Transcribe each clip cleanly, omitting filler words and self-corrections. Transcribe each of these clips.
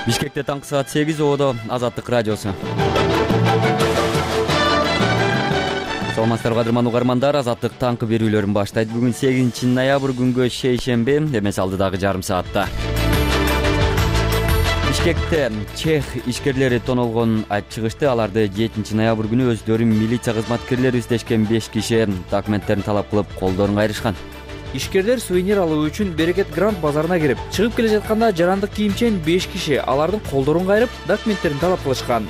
Бишкекте таңкы саат 8 оодо Азаттык радиосу. Саламатсыздарбы кадырман угармандар, Азаттык таңкы берүүлөрүн баштайт. Бүгүн 8 ноябрь күнгө шейшемби, эмес алдыдагы жарым саатта. Бишкекте чех ишкерлери тоналгонун айтып чыгышты. Аларды 7 ноябрь күнү өздөрүн милиция кызматкерлери издешкен 5 киши документтерин талап кылып колдорун кайрышкан. Ишкерлер сувенир алуу үчүн Берекет Грант базарына кирип, чыгып келе жатканда жарандык кийимчен 5 киши алардын колдорун кайрып, документтерин талап кылышкан.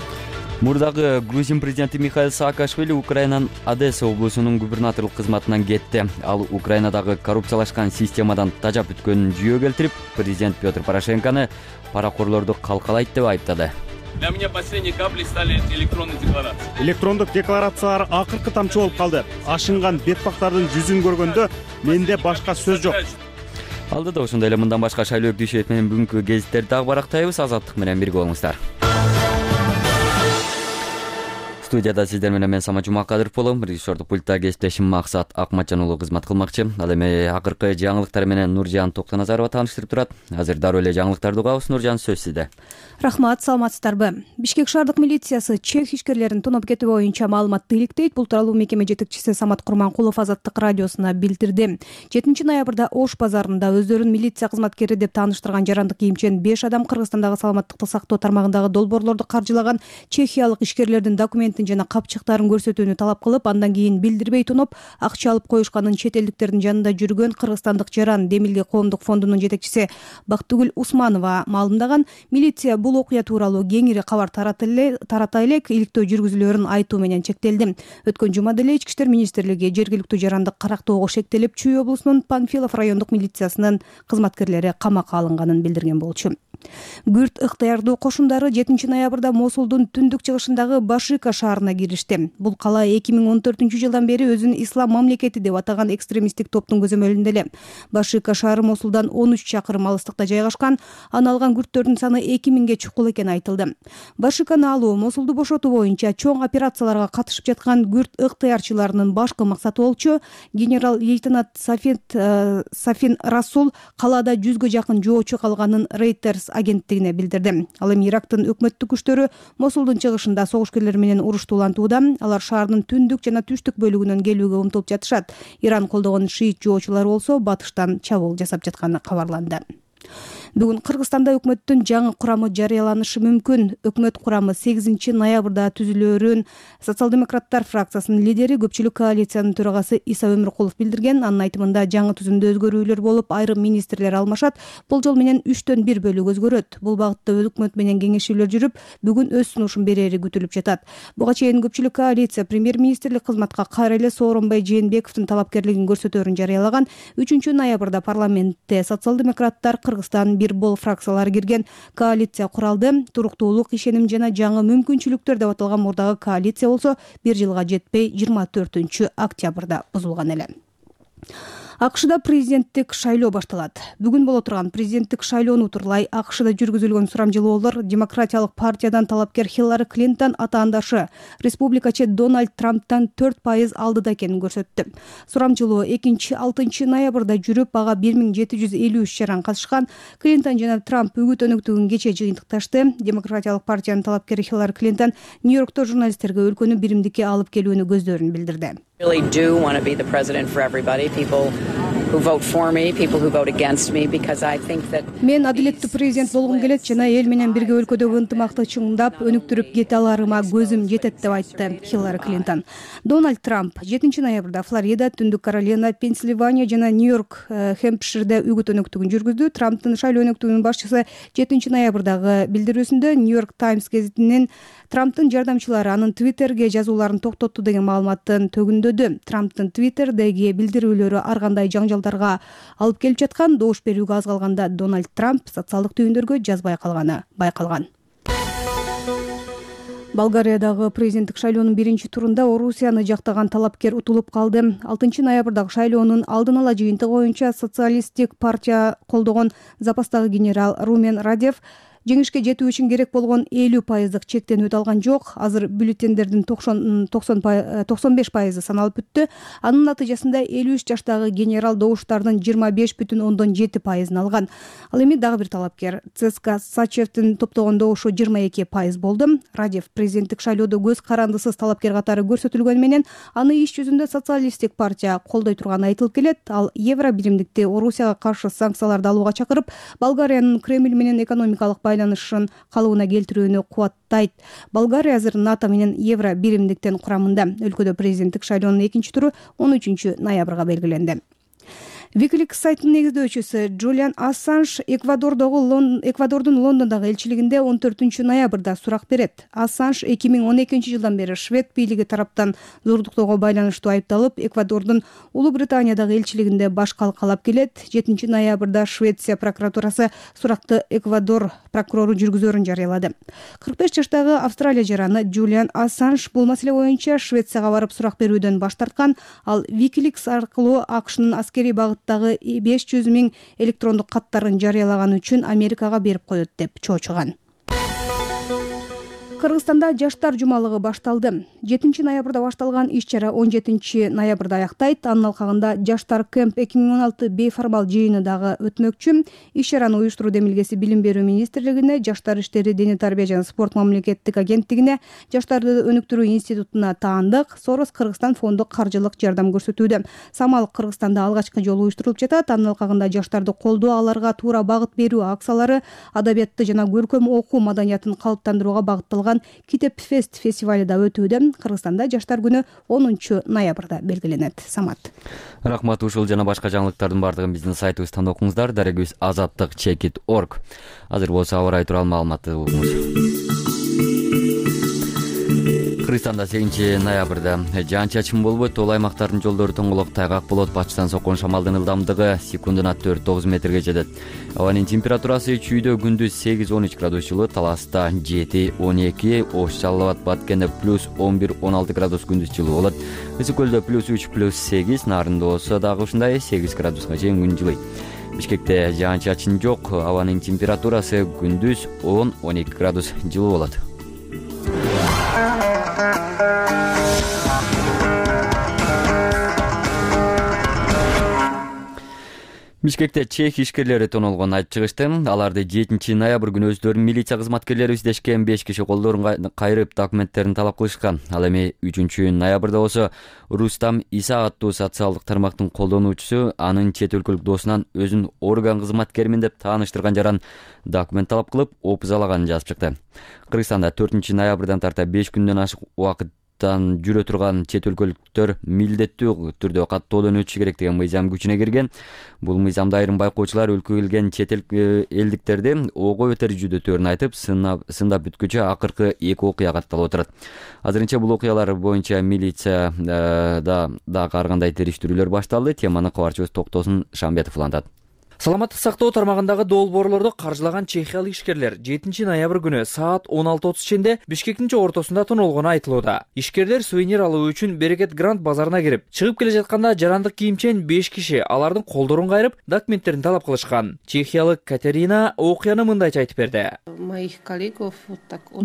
Мурдагы Грузин президенти Михаил Саакашвили Украинанын Одесса облусунун губернаторлук кызматынан кетти. Ал Украинадагы коррупциялашкан системадан тажап өткөнүн жүйө келтирип, президент Петр Порошенкону паракорлорду калкалайт деп айыптады. Для меня последней каплей стали электронные декларации. Электрондук декларациялар акыркы тамчы болуп калды. Ашынган бетпактардын жүзүн көргөндө менде башка сөз жок. Алдыда ошондой эле мындан башка Шайлоо Дүйшөев менен бүгүнкү гезиттерди дагы барактайбыз. Азаттык менен бирге болуңуздар. Студияда сиздер менен мен Самат Жумакадыров болом. Режиссердук пультта кесиптешим Максат Акматжан уулу кызмат кылмакчы. Ал эми акыркы жаңылыктар менен Нуржан Токтоназарова тааныштырып турат. Азыр дароо эле жаңылыктарды угабыз. Нуржан, сөз сизде. Рахмат, саламатсыздарбы? Бишкек шаардык милициясы чех ишкерлерин тоноп кетүү боюнча маалыматты иликтейт. Бул тууралуу мекеме жетекчиси Самат Курманкулов Азаттык радиосуна билдирди. 7 ноябрда Ош базарында өздөрүн милиция кызматкери деп тааныштырган жарандык кийимчен 5 адам Кыргызстандагы саламаттыкты сактоо тармагындагы долбоорлорду каржылаган чехиялык ишкерлердин документин жана капчыктарын көрсөтүүнү талап кылып, андан кийин билдирбей тоноп, акча алып коюшканын чет элдиктердин жанында жүргөн кыргызстандык Жаран Демилге коомдук фондунун жетекчиси Бактыгүл Усманова маалымдаган. Милиция бул окуя тууралуу кеңири кабар тарата элек иликтөө жүргүзүлөөрүн айтуу менен чектелди. Өткөн жумада эле Ички иштер министрлиги жергиликтүү жарандык карактоого шектелип, Чүй облусунун Панфилов райондук милициясынын кызматкерлери камакка алынганын билдирген болчу. Күрт ыктыярдуу кошундары 7 ноябрда Мосулдун түндүк чыгышындагы Башика шаарына киришти. Бул кала 2014-жылдан бери өзүн ислам мамлекети деп атаган экстремисттик топтун көзөмөлүндө эле. Башика шаары Мосулдан 13 чакырым алыстыкта жайгашкан. Аны алган күрттөрдүн саны 2000ге чукул экени айтылды. Башиканы алуу Мосулду бошотуу боюнча чоң операцияларга катышып жаткан күрт ыктыярчыларынын башкы максаты болчу. Генерал-лейтенант Сафин Расул калаада 100гө жакын жоочу калганын Reuters агенттигине билдирди. Ал эми Ирактын өкмөттүк күчтөрү Мосулдун чыгышында согушкерлер менен уруштуулантууда. Алар шаардын түндүк жана түштүк бөлүгүнөн келүүгө умтулуп жатышат. Иран колдогон шиит жоочулар болсо батыштан чабуул жасап жатканы кабарланды. Бүгүн Кыргызстанда өкмөттүн жаңы курамы жарыяланышы мүмкүн. Өкмөт курамы 8 ноябрда түзүлөөрүн социал-демократтар фракциясынын лидери, көпчүлүк коалициянын төрагасы Иса Өмүркулов билдирген. Анын айтымында жаңы түзүмдө өзгөрүүлөр болуп, айрым министрлер алмашат. Болжол менен 3төн 1 бөлүк өзгөрөт. Бул багытта өкмөт менен кеңешүүлөр жүрүп, бүгүн өз сунушун берери күтүлүп жатат. Буга чейин көпчүлүк коалиция премьер-министрлик кызматка кайра эле Сооронбай Жээнбековдун талапкерлигин көрсөтөөрүн жарыялаган. 3 ноябрда парламентте социал-демократтар, Кыргызстан бир бол фракциялары кирген коалиция куралды. Туруктуулук, ишеним жана жаңы мүмкүнчүлүктөр деп аталган мурдагы коалиция болсо 1 жылга жетпей 24 октябрда бузулган эле. АКШда президенттик шайлоо башталат. Бүгүн боло турган президенттик шайлоону утурлай АКШда жүргүзүлгөн сурамжылоолор демократиялык партиядан талапкер Хиллари Клинтон атаандашы республикачы Дональд Трамптан 4% алдыда экенин көрсөттү. Сурамжылоо 2-6 ноябрда жүрүп, ага 1753 жаран катышкан. Клинтон жана Трамп үгүт өнөктүгүн кече жыйынтыкташты. Демократиялык партиянын талапкери Хиллари Клинтон Нью-Йоркто журналисттерге өлкөнү биримдикке алып келүүнү көздөрүн билдирди. Really do want to be the president for everybody, people who vote for me, people who vote against me, because I think that мен адилеттүү президент болгум келет жана эл менен бирге өлкөдөгү ынтымакты чыңдап, өнүктүрүп кете аларыма көзүм жетет деп айтты Хиллари Клинтон. Дональд Трамп 7 ноябрда Флорида, Түндүк Каролина, Пенсильвания жана Нью-Йорк, Хэмпширде үгүт өнөктүгүн жүргүздү. Трамптын шайлоо өнөктүгүнүн башчысы 7 ноябрдагы билдирүүсүндө Нью-Йорк Таймс гезитинин Трамптын жардамчылары анын Твиттерге жазууларын токтотту деген маалыматын төгүндөдү. Трамптын Твиттердеги билдирүүлөрү ар кандай жаңжалдарга алып келип жаткан. Добуш берүүгө аз калганда Дональд Трамп социалдык түйүндөргө жазбай калганы байкалган. Болгариядагы президенттик шайлоонун биринчи турунда Орусияны жактаган талапкер утулуп калды. 6 ноябрдагы шайлоонун алдын ала жыйынтыгы боюнча социалисттик партия колдогон запастагы генерал Румен Радев жеңишке жетүү үчүн керек болгон 50% чектен өтө алган жок. Азыр бюллетендердин 95% саналып бүттү. Анын натыйжасында 53 жаштагы генерал добуштардын 25,7% алган. Ал эми дагы бир талапкер ЦСКА Сачевдин топтогон добушу 22% болду. Радев президенттик шайлоодо көз карандысыз талапкер катары көрсөтүлгөнү менен аны иш жүзүндө социалисттик партия колдой турганы айтылып келет. Ал евро биримдикти Орусияга каршы санкцияларды алууга чакырып, Болгариянын Кремль менен экономикалык байланышын калыбына келтирүүнү кубаттайт. Болгария азыр НАТО менен евро биримдиктин курамында. Өлкөдө президенттик шайлоонун экинчи туру 13 ноябрга белгиленди. Wikileaks сайтынын негиздөөчүсү Джулиан Ассанж Эквадордун Лондондогу элчилигинде 14 ноябрда сурак берет. Ассанж 2012 жылдан бери швед бийлиги тараптан зордуктоого байланыштуу айыпталып, Эквадордун Улуу Британиядагы элчилигинде баш калкалап келет. 7 ноябрда Швеция прокуратурасы суракты Эквадор прокурору жүргүзөрүн жарыялады. 45 жаштагы Австралия жараны Джулиан Ассанж бул маселе боюнча Швецияга барып сурак берүүдөн баш тарткан. Ал Wikileaks аркылуу АКШнын аскерий багыттагы 500 000 электрондук каттарын жарыялаганы үчүн Америкага берип коет деп чоочуган. Кыргызстанда жаштар жумалыгы башталды. 7 ноябрда башталган иш-чара 17 ноябрда аяктайт. Анын алкагында Жаштар Кемп 2016 бейформал жыйыны дагы өтмөкчү. Иш-чараны уюштуруу демилгеси Билим берүү министрлигине, Жаштар иштери, дене тарбия жана спорт мамлекеттик агенттигине, Жаштарды өнүктүрүү институтуна таандык. Сорос Кыргызстан фонду каржылык жардам көрсөтүүдө. Самал Кыргызстанда алгачкы жолу уюштурулуп жатат. Анын алкагында жаштарды колдоо, аларга туура багыт берүү акциялары, адабиятты жана көркөм окуу маданиятын калыптандырууга багытталган Китеп Фест фестивали да өтүүдө. Кыргызстанда жаштар күнү 10 ноябрда белгиленет. Самат. Рахмат. Ушул жана башка жаңылыктардын бардыгын биздин сайтыбыздан окуңуздар. Дарегибиз azattik.org. Азыр болсо аба ырайы тууралуу маалыматты угуңуз. Кыргызстанда 8 ноябрда жаан-чачын болбойт. Ол аймактардын жолдору тоңголок, тайгак болот. Батыштан соккон шамалдын ылдамдыгы секундуна 4-9 метрге жетет. Абанын температурасы чүйдө күндүз 8-13 градус жылы, Таласта 7-12, Ош, Жалал Абад, Баткенде +11-16 градус күндүз жылы болот. Ысык көлдө +3-+8, Нарында болсо дагы ушундай 8 градуска чейин күн жылый. Бишкекте жаан-чачын жок. Абанын температурасы күндүз 10-12 градус жылы болот. Бишкекте чех ишкерлери тонолгонун айтып чыгышты. Аларды 7 ноябрь күнү өздөрүнүн милиция кызматкерлери издешкен 5 киши колдорун кайрып документтерин талап кылышкан. Ал эми 3 ноябрда болсо Рустам Иса аттуу социалдык тармактын колдонуучусу анын чет өлкөлүк досунан өзүн орган кызматкеримин деп тааныштырган жаран документ талап кылып, опузалаганын жазып чыкты. Кыргызстанда 4 ноябрдан тарта 5 күндөн ашык убакыттан жүрө турган чет өлкөлүктөр милдеттүү түрдө каттоодон өтүшү керек деген мыйзам күчүнө кирген. Бул мыйзамда айрым байкоочулар өлкөгө келген чет элдиктерди ого бетер жүдөтөөрүн айтып, сындап бүткүчө акыркы 2 окуя катталып отурат. Азырынча бул окуялар боюнча милиция дагы ар кандай териштирүүлөр башталды. Теманы кабарчыбыз Токтосун Шамбетов улантат. Саламаттык сактоо тармагындагы долбоорлорду каржылаган чехиялык ишкерлер 7 ноябрь күнү саат 16:30 ченде Бишкектин ортосунда тонолгону айтылууда. Ишкерлер сувенир алуу үчүн Берекет Грант базарына кирип, чыгып келе жатканда жарандык кийимчен 5 киши алардын колдорун кайрып, документтерин талап кылышкан. Чехиялык Катерина окуяны мындайча айтып берди.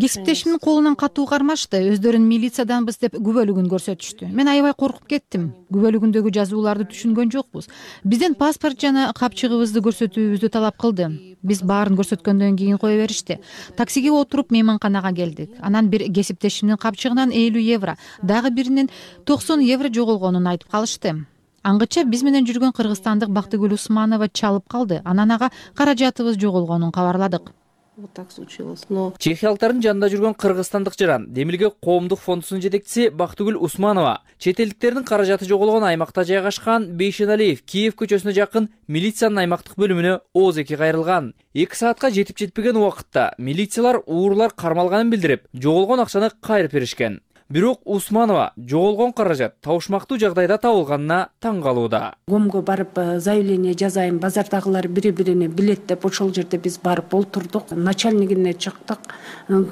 Кесиптешимдин колунан катуу кармашты. Өздөрүн милицияданбыз деп күбөлүгүн көрсөтүштү. Мен аябай коркуп кеттим. Күбөлүгүндөгү жазууларды түшүнгөн жокпуз. Бизден паспорт жана капчыгыбызды көрсөтүүбүздү талап кылды. Биз баарын көрсөткөндөн кийин кое беришти. Таксиге отуруп мейманканага келдик. Анан бир кесиптешимдин капчыгынан 50 евро, дагы биринин 90 евро жоголгонун айтып калышты. Аңгыча биз менен жүргөн кыргызстандык Бактыгүл Усманова чалып калды. Анан ага каражатыбыз жоголгонун кабарладык. Чехиялыктардын жанында жүргөн кыргызстандык жаран Демилге коомдук фондусунун жетекчиси Бактыгүл Усманова чет элдиктердин каражаты жоголгон аймакта жайгашкан Бейшеналиев Киев көчөсүнө жакын милициянын аймактык бөлүмүнө ооз-эки кайрылган. 2 саатка жетип жетпеген убакытта милициялар уурлар кармалганын билдирип, жоголгон акчаны кайрып беришкен. Бирок Усманова жоголгон каражат табышмактуу жагдайда табылганына таң калууда. Комго барып заявление жазайын, базардагылар бири-бирине билет деп ошол жерде биз барып олтурдук. Начальнигине чыктык.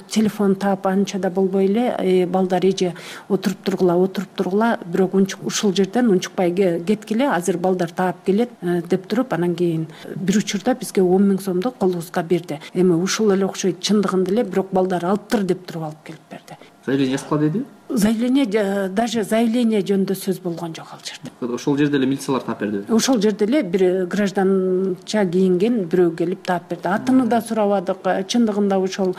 Телефон таап анча да болбой эле, балдар эже отуруп тургула, бирок ушул жерден унчукпай кеткиле, азыр балдар таап келет деп туруп, анан кийин бир учурда бизге 10 000 сомду колубузга берди. Эми ушул эле окшойт, чындыгында эле, бирок балдар алыптыр деп туруп алып келип берди. Заявление жазгыла деди? Даже заявление жөнүндө сөз болгон жок ал жерде. Ошол жерде эле милициялар таап берди. Ошол жерде эле бир гражданча кийинген бирөө келип таап берди. Атын да сурабадык. Чындыгында ошол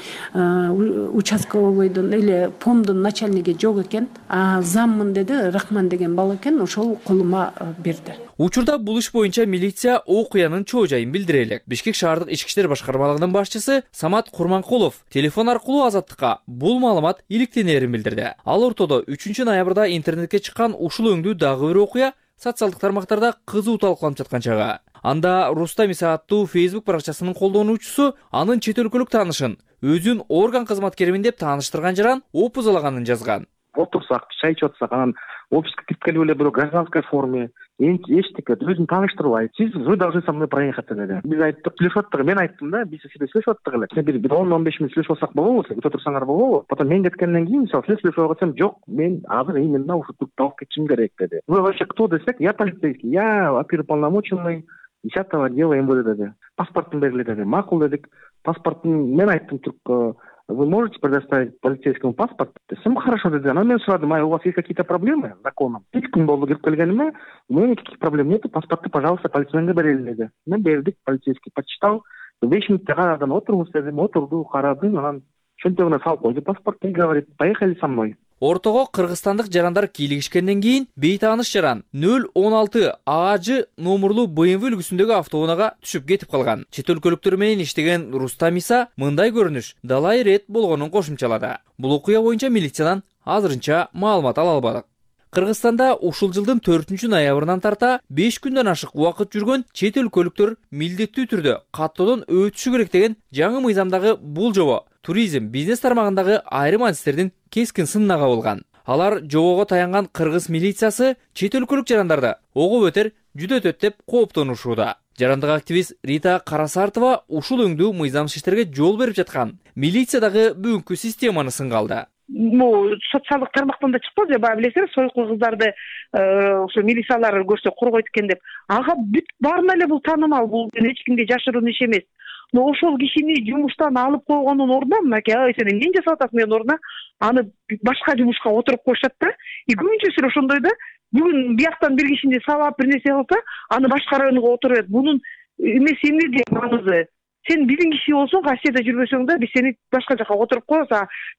участковойдун эле помдун начальниги жок экен. Заммын деди, Рахман деген бала экен, ошол колума берди. Учурда бул иш боюнча милиция окуянын чоо жайын билдире элек. Бишкек шаардык ички иштер башкармалыгынын башчысы Самат Курманкулов телефон аркылуу Азаттыкка бул маалымат иликтенерин билдирди. Ал ортодо 3 ноябрда интернетке чыккан ушул өңдүү дагы бир окуя социалдык тармактарда кызуу талкууланып жаткан чагы. Анда Рустам Иса аттуу Facebook баракчасынын колдонуучусу анын чет өлкөлүк таанышын өзүн орган кызматкеримин деп тааныштырган жаран опузалаганын жазган. Отурсак, чай ичип атсак, анан офиске кирип келип эле бирөө гражданской форме, эчтеке өзүн тааныштырбай, вы должны со мной проехать деди. Биз айттык, сүйлөшүп аттык, мен айттым да, биз сизде сүйлөшүп аттык эле. Сен бир 10-15 мүнөт сүйлөшүп алсак болобу, өтө турсаңар болобу? Потом мен кеткенден кийин, мисалы, сиз сүйлөшүп атсам, жок, мен азыр именно ушу турупта алып кетишим керек деди. Вы вообще кто десек, я полицейский, я оперуполномоченный 10-го отдела МВД деди. Паспортун бергиле деди. Макул дедик. Паспортун мен айттым турк. Вы можете предоставить полицейскому паспорт? Всем хорошо, деди. Анан мен сурадым, у вас есть какие-то проблемы с законом? 2 күн болду кирип келгениме, у меня никаких проблем нету, паспортты, пожалуйста, полицейменге берели деди. Мен бердик, полицейский почитал. 5 мүнөттө карадан отуруңуз дедим, отурду, карадым, анан чөнтөгүнө салып койду паспорт и говорит, поехали со мной. Ортого кыргызстандык жарандар кийлигишкенден кийин бейтааныш жаран 016 АЖ номерлуу BMW үлгүсүндөгү автоунаага түшүп кетип калган. Чет өлкөлүктөр менен иштеген Рустам Иса мындай көрүнүш далай ирет болгонун кошумчалады. Бул окуя боюнча милициядан азырынча маалымат ала албадык. Кыргызстанда ушул жылдын 4 ноябрынан тарта 5 күндөн ашык убакыт жүргөн чет өлкөлүктөр милдеттүү түрдө каттоодон өтүшү керек деген жаңы мыйзамдагы бул жобо туризм, бизнес тармагындагы айрым адистердин кескин сынына кабылган. Алар жобого таянган кыргыз милициясы чет өлкөлүк жарандарды огоп өтөр, жүдөтөт деп кооптонушууда. Жарандык активист Рита Карасартова ушул өңдүү мыйзамсыз иштерге жол берип жаткан милициядагы бүгүнкү системаны сынга алды. Социалдык тармактан да чыкпады, баягы билесиңер, сойкул кыздарды ошо милициялар көрсө коргойт экен деп. Ага бүт баарына эле бул таанымал, бул эч кимге жашыруун иш эмес. Но ошол кишини жумуштан алып койгондун ордуна, мынакей, сен эмне жасап атасың менин ордуна, аны башка жумушка отуруп коюшат да. Көбүнчөсү ошондой да. Бүгүн бияктан бир кишини сабап бир нерсе кылса, аны башка районго отуруп, бунун эмеси эмнеде маңызы? Сен биздин киши болсоң, Россияда жүрбөсөң да, биз сени башка жака отуруп коебуз,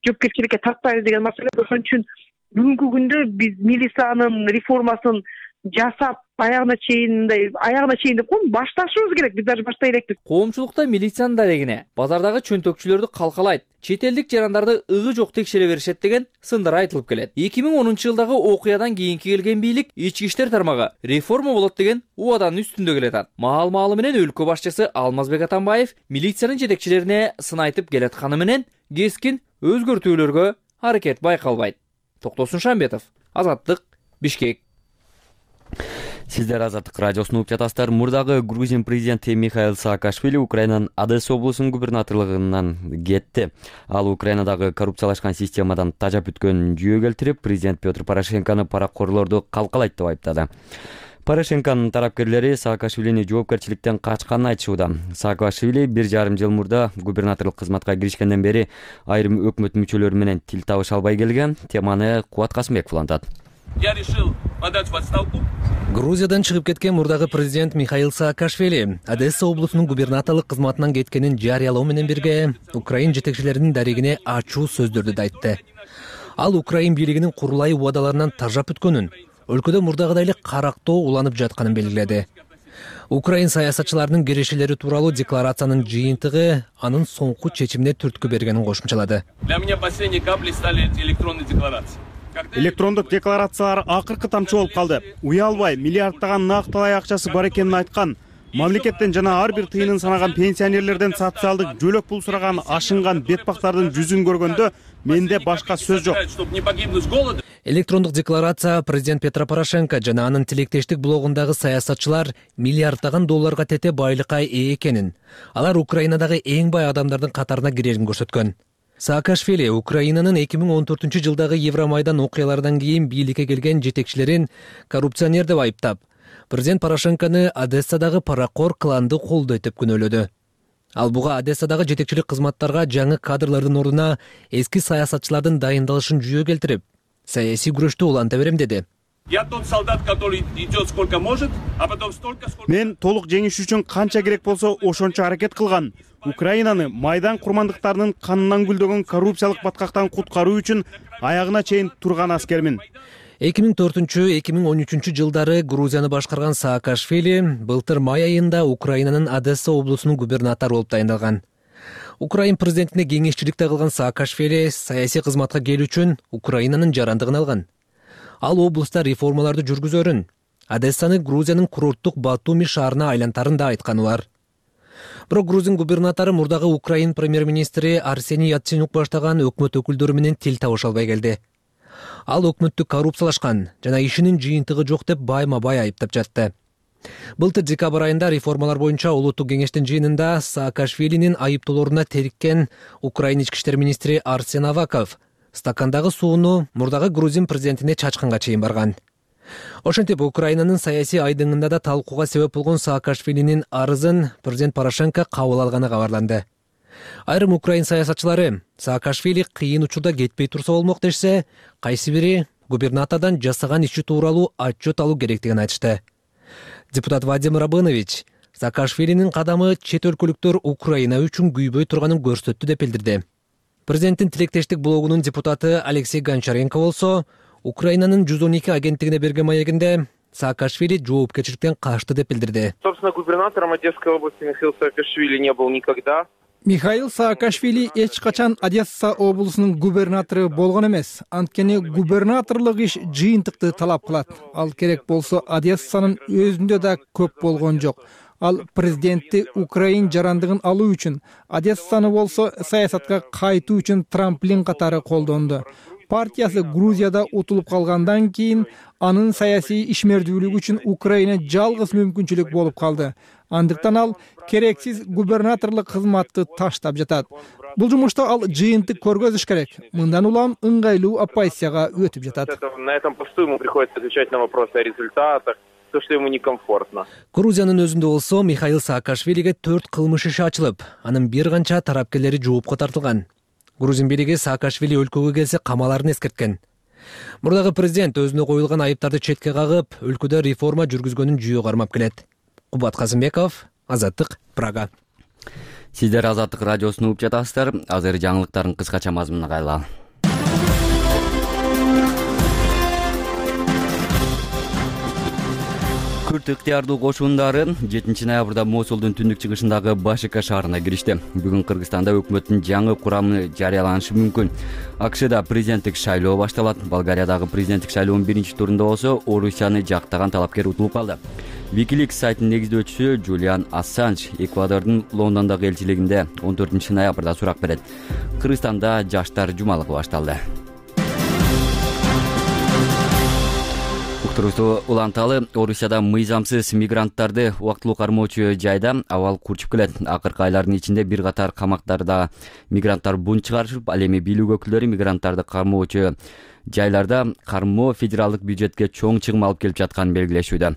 жоопкерчиликке тартпайбыз деген маселе. Ошон үчүн бүгүнкү күндө биз милициянын реформасын жасап, аягына чейин деп коем, башташыбыз керек, биз даже баштай элекпиз. Коомчулукта милициянын дарегине базардагы чөнтөкчүлөрдү калкалайт, чет элдик жарандарды ыгы жок текшере беришет деген сындар айтылып келет. 2010 жылдагы окуядан кийинки келген бийлик ички иштер тармагы реформа болот деген убаданын үстүндө келатат. Маал-маалы менен өлкө башчысы Алмазбек Атамбаев милициянын жетекчилерине сын айтып келатканы менен кескин өзгөртүүлөргө аракет байкалбайт. Токтосун Шамбетов, Азаттык, Бишкек. Сиздер Азаттык радиосун угуп жатасыздар. Мурдагы Грузин президенти Михаил Саакашвили Украинанын Одесса облусунун губернаторлугунан кетти. Ал Украинадагы коррупциялашкан системадан тажап бүткөн жүйө келтирип, президент Петр Порошенкону паракорлорду калкалайт деп айыптады. Порошенконун тарапкерлери Саакашвилини жоопкерчиликтен качканын айтышууда. Саакашвили 1,5 жыл мурда губернаторлук кызматка киришкенден бери айрым өкмөт мүчөлөрү менен тил табыша албай келген. Теманы Кубат Касымбеков улантат. Я решил подать в отставку. Грузиядан чыгып кеткен мурдагы президент Михаил Саакашвили Одесса облусунун губернаторлук кызматынан кеткенин жарыялоо менен бирге Украин жетекчилеринин дарегине ачуу сөздөрдү да айтты. Ал Украин бийлигинин курулай убадаларынан тажап өткөнүн, өлкөдө мурдагыдай эле карактоо уланып жатканын белгиледи. Украин саясатчыларынын кирешелери тууралуу декларациянын жыйынтыгы анын соңку чечимине түрткү бергенин кошумчалады. Для меня последней каплей стали электронные декларации. Электрондук декларациялар акыркы тамчы болуп калды. Уялбай миллиарддаган накталай акчасы бар экенин айткан. Мамлекеттен жана ар бир тыйынын санаган пенсионерлерден социалдык жөлөк пул сураган ашынган бетпактардын жүзүн көргөндө менде башка сөз жок. Чтобы не погибнуть с голода. Электрондук декларация президент Петро Порошенко жана анын тилектештик блогундагы саясатчылар миллиарддаган долларга тете байлыкка ээ экенин, алар Украинадагы эң бай адамдардын катарына кирерин көрсөткөн. Саакашвили Украинанын 2014-жылдагы Евромайдан окуяларынан кийин бийликке келген жетекчилерин коррупционер деп айыптап, президент Порошенкону Одессадагы паракор кланды колдойт деп күнөөлөдү. Ал буга Одессадагы жетекчилик кызматтарга жаңы кадрлардын ордуна эски саясатчылардын дайындалышын жүйө келтирип, саясий күрөштү уланта берем деди. Я тот солдат, который идет сколько может, а потом столько, сколько... Мен толук жеңиш үчүн канча керек болсо ошончо аракет кылган. Украинаны Майдан курмандыктарынын канынан гүлдөгөн коррупциялык баткактан куткаруу үчүн аягына чейин турган аскермин. 2004-2013 жылдары Грузияны башкарган Саакашвили былтыр май айында Украинанын Одесса облусунун губернатору болуп дайындалган. Украин президентине кеңешчиликте кылган Саакашвили саясий кызматка келүү үчүн Украинанын жарандыгын алган. Ал облуста реформаларды жүргүзөрүн, Одессаны Грузиянын курорттук Батуми шаарына айлантарын да айтканы бар. Бирок Грузин губернатору мурдагы Украин премьер-министри Арсений Яценюк баштаган өкмөт өкүлдөрү менен тил табыша албай келди. Ал өкмөттү коррупциялашкан жана ишинин жыйынтыгы жок деп байма-бай айыптап жатты. Былтыр декабрь айында реформалар боюнча улуттук кеңештин жыйынында Саакашвилинин айыптоолоруна териккен Украин ички иштер министри Арсен Аваков стакандагы сууну мурдагы Грузин президентине чачканга чейин барган. Ошентип Украинанын саясий айдыңында да талкууга себеп болгон Саакашвилинин арызын президент Порошенко кабыл алганы кабарланды. Айрым Украин саясатчылары Саакашвили кыйын учурда кетпей турса болмок дешсе, кайсы бири губернатордон жасаган иши тууралуу отчет алуу керектигин айтышты. Депутат Вадим Рабынович Саакашвилинин кадамы чет өлкөлүктөр Украина үчүн күйбөй турганын көрсөттү деп билдирди. Президенттин тилектештик блогунун депутаты Алексей Гончаренко болсо, Украинанын 112 агенттигине берген маегинде Саакашвили жоопкерчиликтен качты деп билдирди. Собственно, губернатором Одесской области Михаил Саакашвили не был никогда. Михаил Саакашвили эч качан Одесса облусунун губернатору болгон эмес. Анткени губернаторлук иш жыйынтыкты талап кылат. Ал керек болсо Одессанын өзүндө да көп болгон жок. Ал президентти Украин жарандыгын алуу үчүн, Одессаны болсо саясатка кайтуу үчүн трамплин катары колдонду. Партиясы Грузияда утулуп калгандан кийин анын саясий ишмердүүлүгү үчүн Украина жалгыз мүмкүнчүлүк болуп калды. Андыктан ал керексиз губернаторлук кызматты таштап жатат. Бул жумушта ал жыйынтык көргөзүш керек. Мындан улам ыңгайлуу оппозицияга өтүп жатат. На этом посту ему приходится отвечать на вопросы о результатах, то, что ему некомфортно. Грузиянын өзүндө болсо Михаил Саакашвилиге 4 кылмыш иши ачылып, анын бир канча тарапкерлери жоопко тартылган. Грузин бийлиги Саакашвили өлкөгө келсе камаларын эскерткен. Мурдагы президент өзүнө коюлган айыптарды четке кагып, өлкөдө реформа жүргүзгөнүн жүйө кармап келет. Кубат Казымбеков, Азаттык, Прага. Сиздер Азаттык радиосун угуп жатасыздар. Азыр жаңылыктардын кыскача мазмунуна кайрылалы. Күрт ыктыярдуу кошундары 7 ноябрда Мосулдун түндүк-чыгышындагы Башика шаарына киришти. Бүгүн Кыргызстанда өкмөттүн жаңы курамы жарыяланышы мүмкүн. АКШда президенттик шайлоо башталат. Болгариядагы президенттик шайлоонун биринчи турунда болсо Орусияны жактаган талапкер утулуп калды. Wikileaks сайтынын негиздөөчүсү Джулиан Ассанж Эквадордун Лондондогу элчилигинде 14 ноябрда сурак берет. Кыргызстанда жаштар жумалыгы башталды. Уктуруусу уланталы, Орусияда мыйзамсыз мигранттарды убактылуу кармоочу жайда абал курчуп келет. Акыркы айлардын ичинде бир катар камактарда мигранттар бунт чыгарышып, ал эми бийлик өкүлдөрү мигранттарды кармоочу жайларда кармоо федералдык бюджетке чоң чыгым алып келип жатканын белгилешүүдө.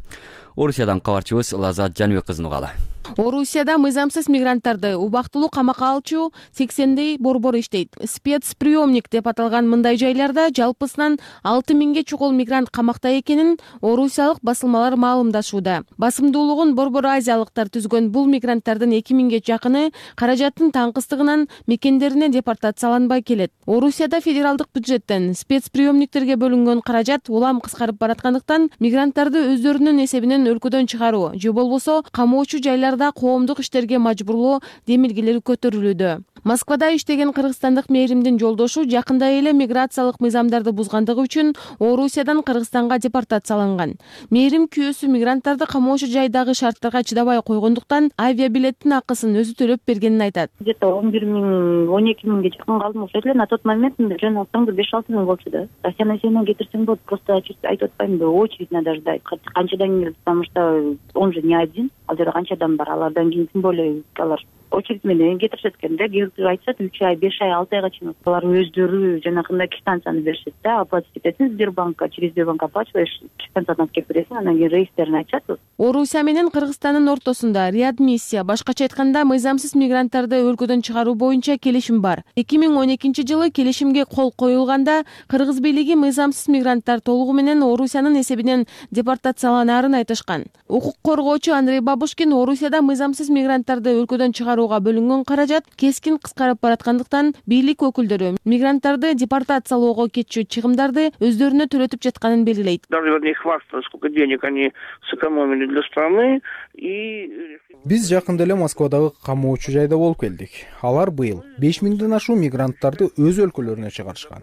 Орусиядан кабарчыбыз Лазат Жаныбек кызын угалы. Орусияда мыйзамсыз мигранттарды убактылуу камакка алчу 80 борбор иштейт. Спецприемник деп аталган мындай жайларда жалпысынан 6000ге чукул мигрант камакта экенин орусиялык басылмалар маалымдашууда. Басымдуулугун Борбор Азиялыктар түзгөн бул мигранттардын 2000ге жакыны каражаттын таңкыстыгынан мекендерине депортацияланбай келет. Орусияда федералдык бюджеттен спецприемниктерге бөлүнгөн каражат улам кыскарып бараткандыктан мигранттарды өздөрүнүн эсебинен өлкөдөн чыгаруу же болбосо камоочу жайларда коомдук иштерге мажбурлоо демилгелери көтөрүлүүдө. Москвада иштеген кыргызстандык мээримдин жолдошу жакында эле миграциялык мыйзамдарды бузгандыгы үчүн Орусиядан Кыргызстанга депортацияланган. Мээрим күйөөсү мигранттарды камоочу жайдагы шарттарга чыдабай койгондуктан авиабилеттин акысын өзү төлөп бергенин айтат. Где-то 11 миң, 12 миңге жакын калдым ошол эле. На тот момент жөн алсаң 5-6 миң болчу да. Россияны кетирсең болот, просто айтып атпаймынбы, очередь надо ждать. Канчадан келет, потому что он же не один. Ал жерде канча адам бар, алардан кийин тем более алар очередь менен кетиришет экен да. Кээ айтышат 3 ай, 5 ай, 6 айга чейин. Алар өздөрү жанагындай квитанцияны беришет да, оплатить этесиң Сбербанкка, через Сбербанк оплачиваешь, квитанцияны алып келип бересиң, анан кийин рейстерин айтышат. Орусия менен Кыргызстандын ортосунда реадмиссия, башкача айтканда мыйзамсыз мигранттарды өлкөдөн чыгаруу боюнча келишим бар. 2012-жылы келишимге кол коюлганда Кыргыз бийлиги мыйзамсыз мигранттар толугу менен Орусиянын эсебинен депортацияланаарын айтышкан. Укук коргоочу Андрей Бабушкин Орусияда мыйзамсыз мигранттарды өлкөдөн чыгарууга бөлүнгөн каражат кескин кыскарып бараткандыктан бийлик өкүлдөрү мигранттарды депортациялоого кетчү чыгымдарды өздөрүнө төлөтүп жатканын белгилейт. Сколько денег они сэкономили для страны и биз жакында эле Москвадагы камоочу жайда болуп келдик. Алар быйыл 5 миңден ашуун мигранттарды өз өлкөлөрүнө чыгарышкан.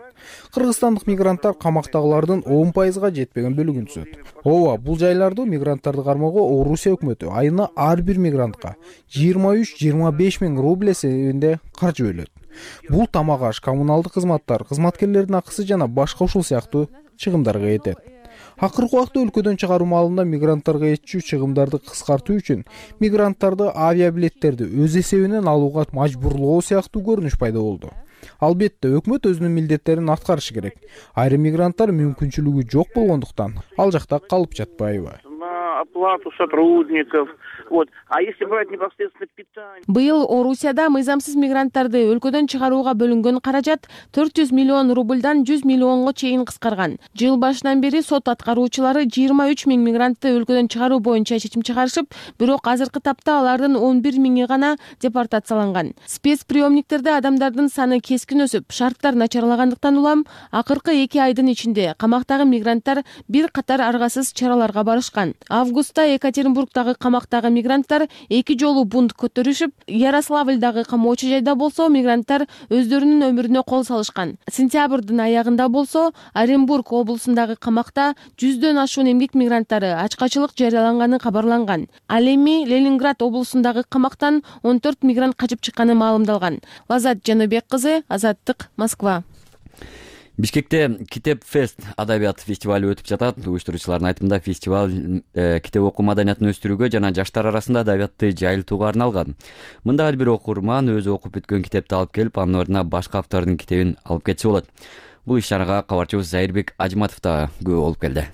Кыргызстандык мигранттар камактагылардын 10%га жетпеген бөлүгүн түзөт. Ооба, бул жайларды мигранттарды кармоого Орусия өкмөтү айына ар бир мигрантка 23-25 миң рубль эсебинде каржы бөлөт. Бул тамак аш, коммуналдык кызматтар, кызматкерлердин акысы жана башка ушул сыяктуу чыгымдарга кетет. Акыркы убакта өлкөдөн чыгаруу маалында мигранттарга этчүү чыгымдарды кыскартуу үчүн мигранттарды авиабилеттерди өз эсебинен алууга мажбурлоо сыяктуу көрүнүш пайда болду. Албетте, өкмөт өзүнүн милдеттерин аткарышы керек. Айрым мигранттар мүмкүнчүлүгү жок болгондуктан ал жакта калып жатпайбы? Оплату сотрудников. Вот. А если брать непосредственно питание? Быйыл Орусияда мыйзамсыз мигранттарды өлкөдөн чыгарууга бөлүнгөн каражат 400 миллион рубльдан 100 миллионго чейин кыскарган. Жыл башынан бери сот аткаруучулары 23 миң мигрантты өлкөдөн чыгаруу боюнча чечим чыгарышып, бирок азыркы тапта алардын 11 миңи гана депортацияланган. Спецприемниктерде адамдардын саны кескин өсүп, шарттар начарлагандыктан улам акыркы 2 айдын ичинде камактагы мигранттар бир катар аргасыз чараларга барышкан. Августта Екатеринбургдагы камактагы мигранттар 2 жолу бунт көтөрүшүп, Ярославльдагы камоочу жайда болсо мигранттар өздөрүнүн өмүрүнө кол салышкан. Сентябрдын аягында болсо Оренбург облусундагы камакта 100дөн ашуун эмгек мигранттары ачкачылык жарыяланганы кабарланган. Ал эми Ленинград облусундагы камактан 14 мигрант качып чыкканы маалымдалган. Лазат Жаныбек кызы, Азаттык, Москва. Бишкекте Китеп Фест адабият фестивалы өтүп жатат. Уюштуруучулардын айтымында фестиваль китеп окуу маданиятын өстүрүүгө жана жаштар арасында адабиятты жайылтууга арналган. Мында ар бир окурман өзү окуп бүткөн китепти алып келип, анын ордуна башка автордун китебин алып кетсе болот. Бул иш-чарага кабарчыбыз Зайырбек Ажматов да күбө болуп келди.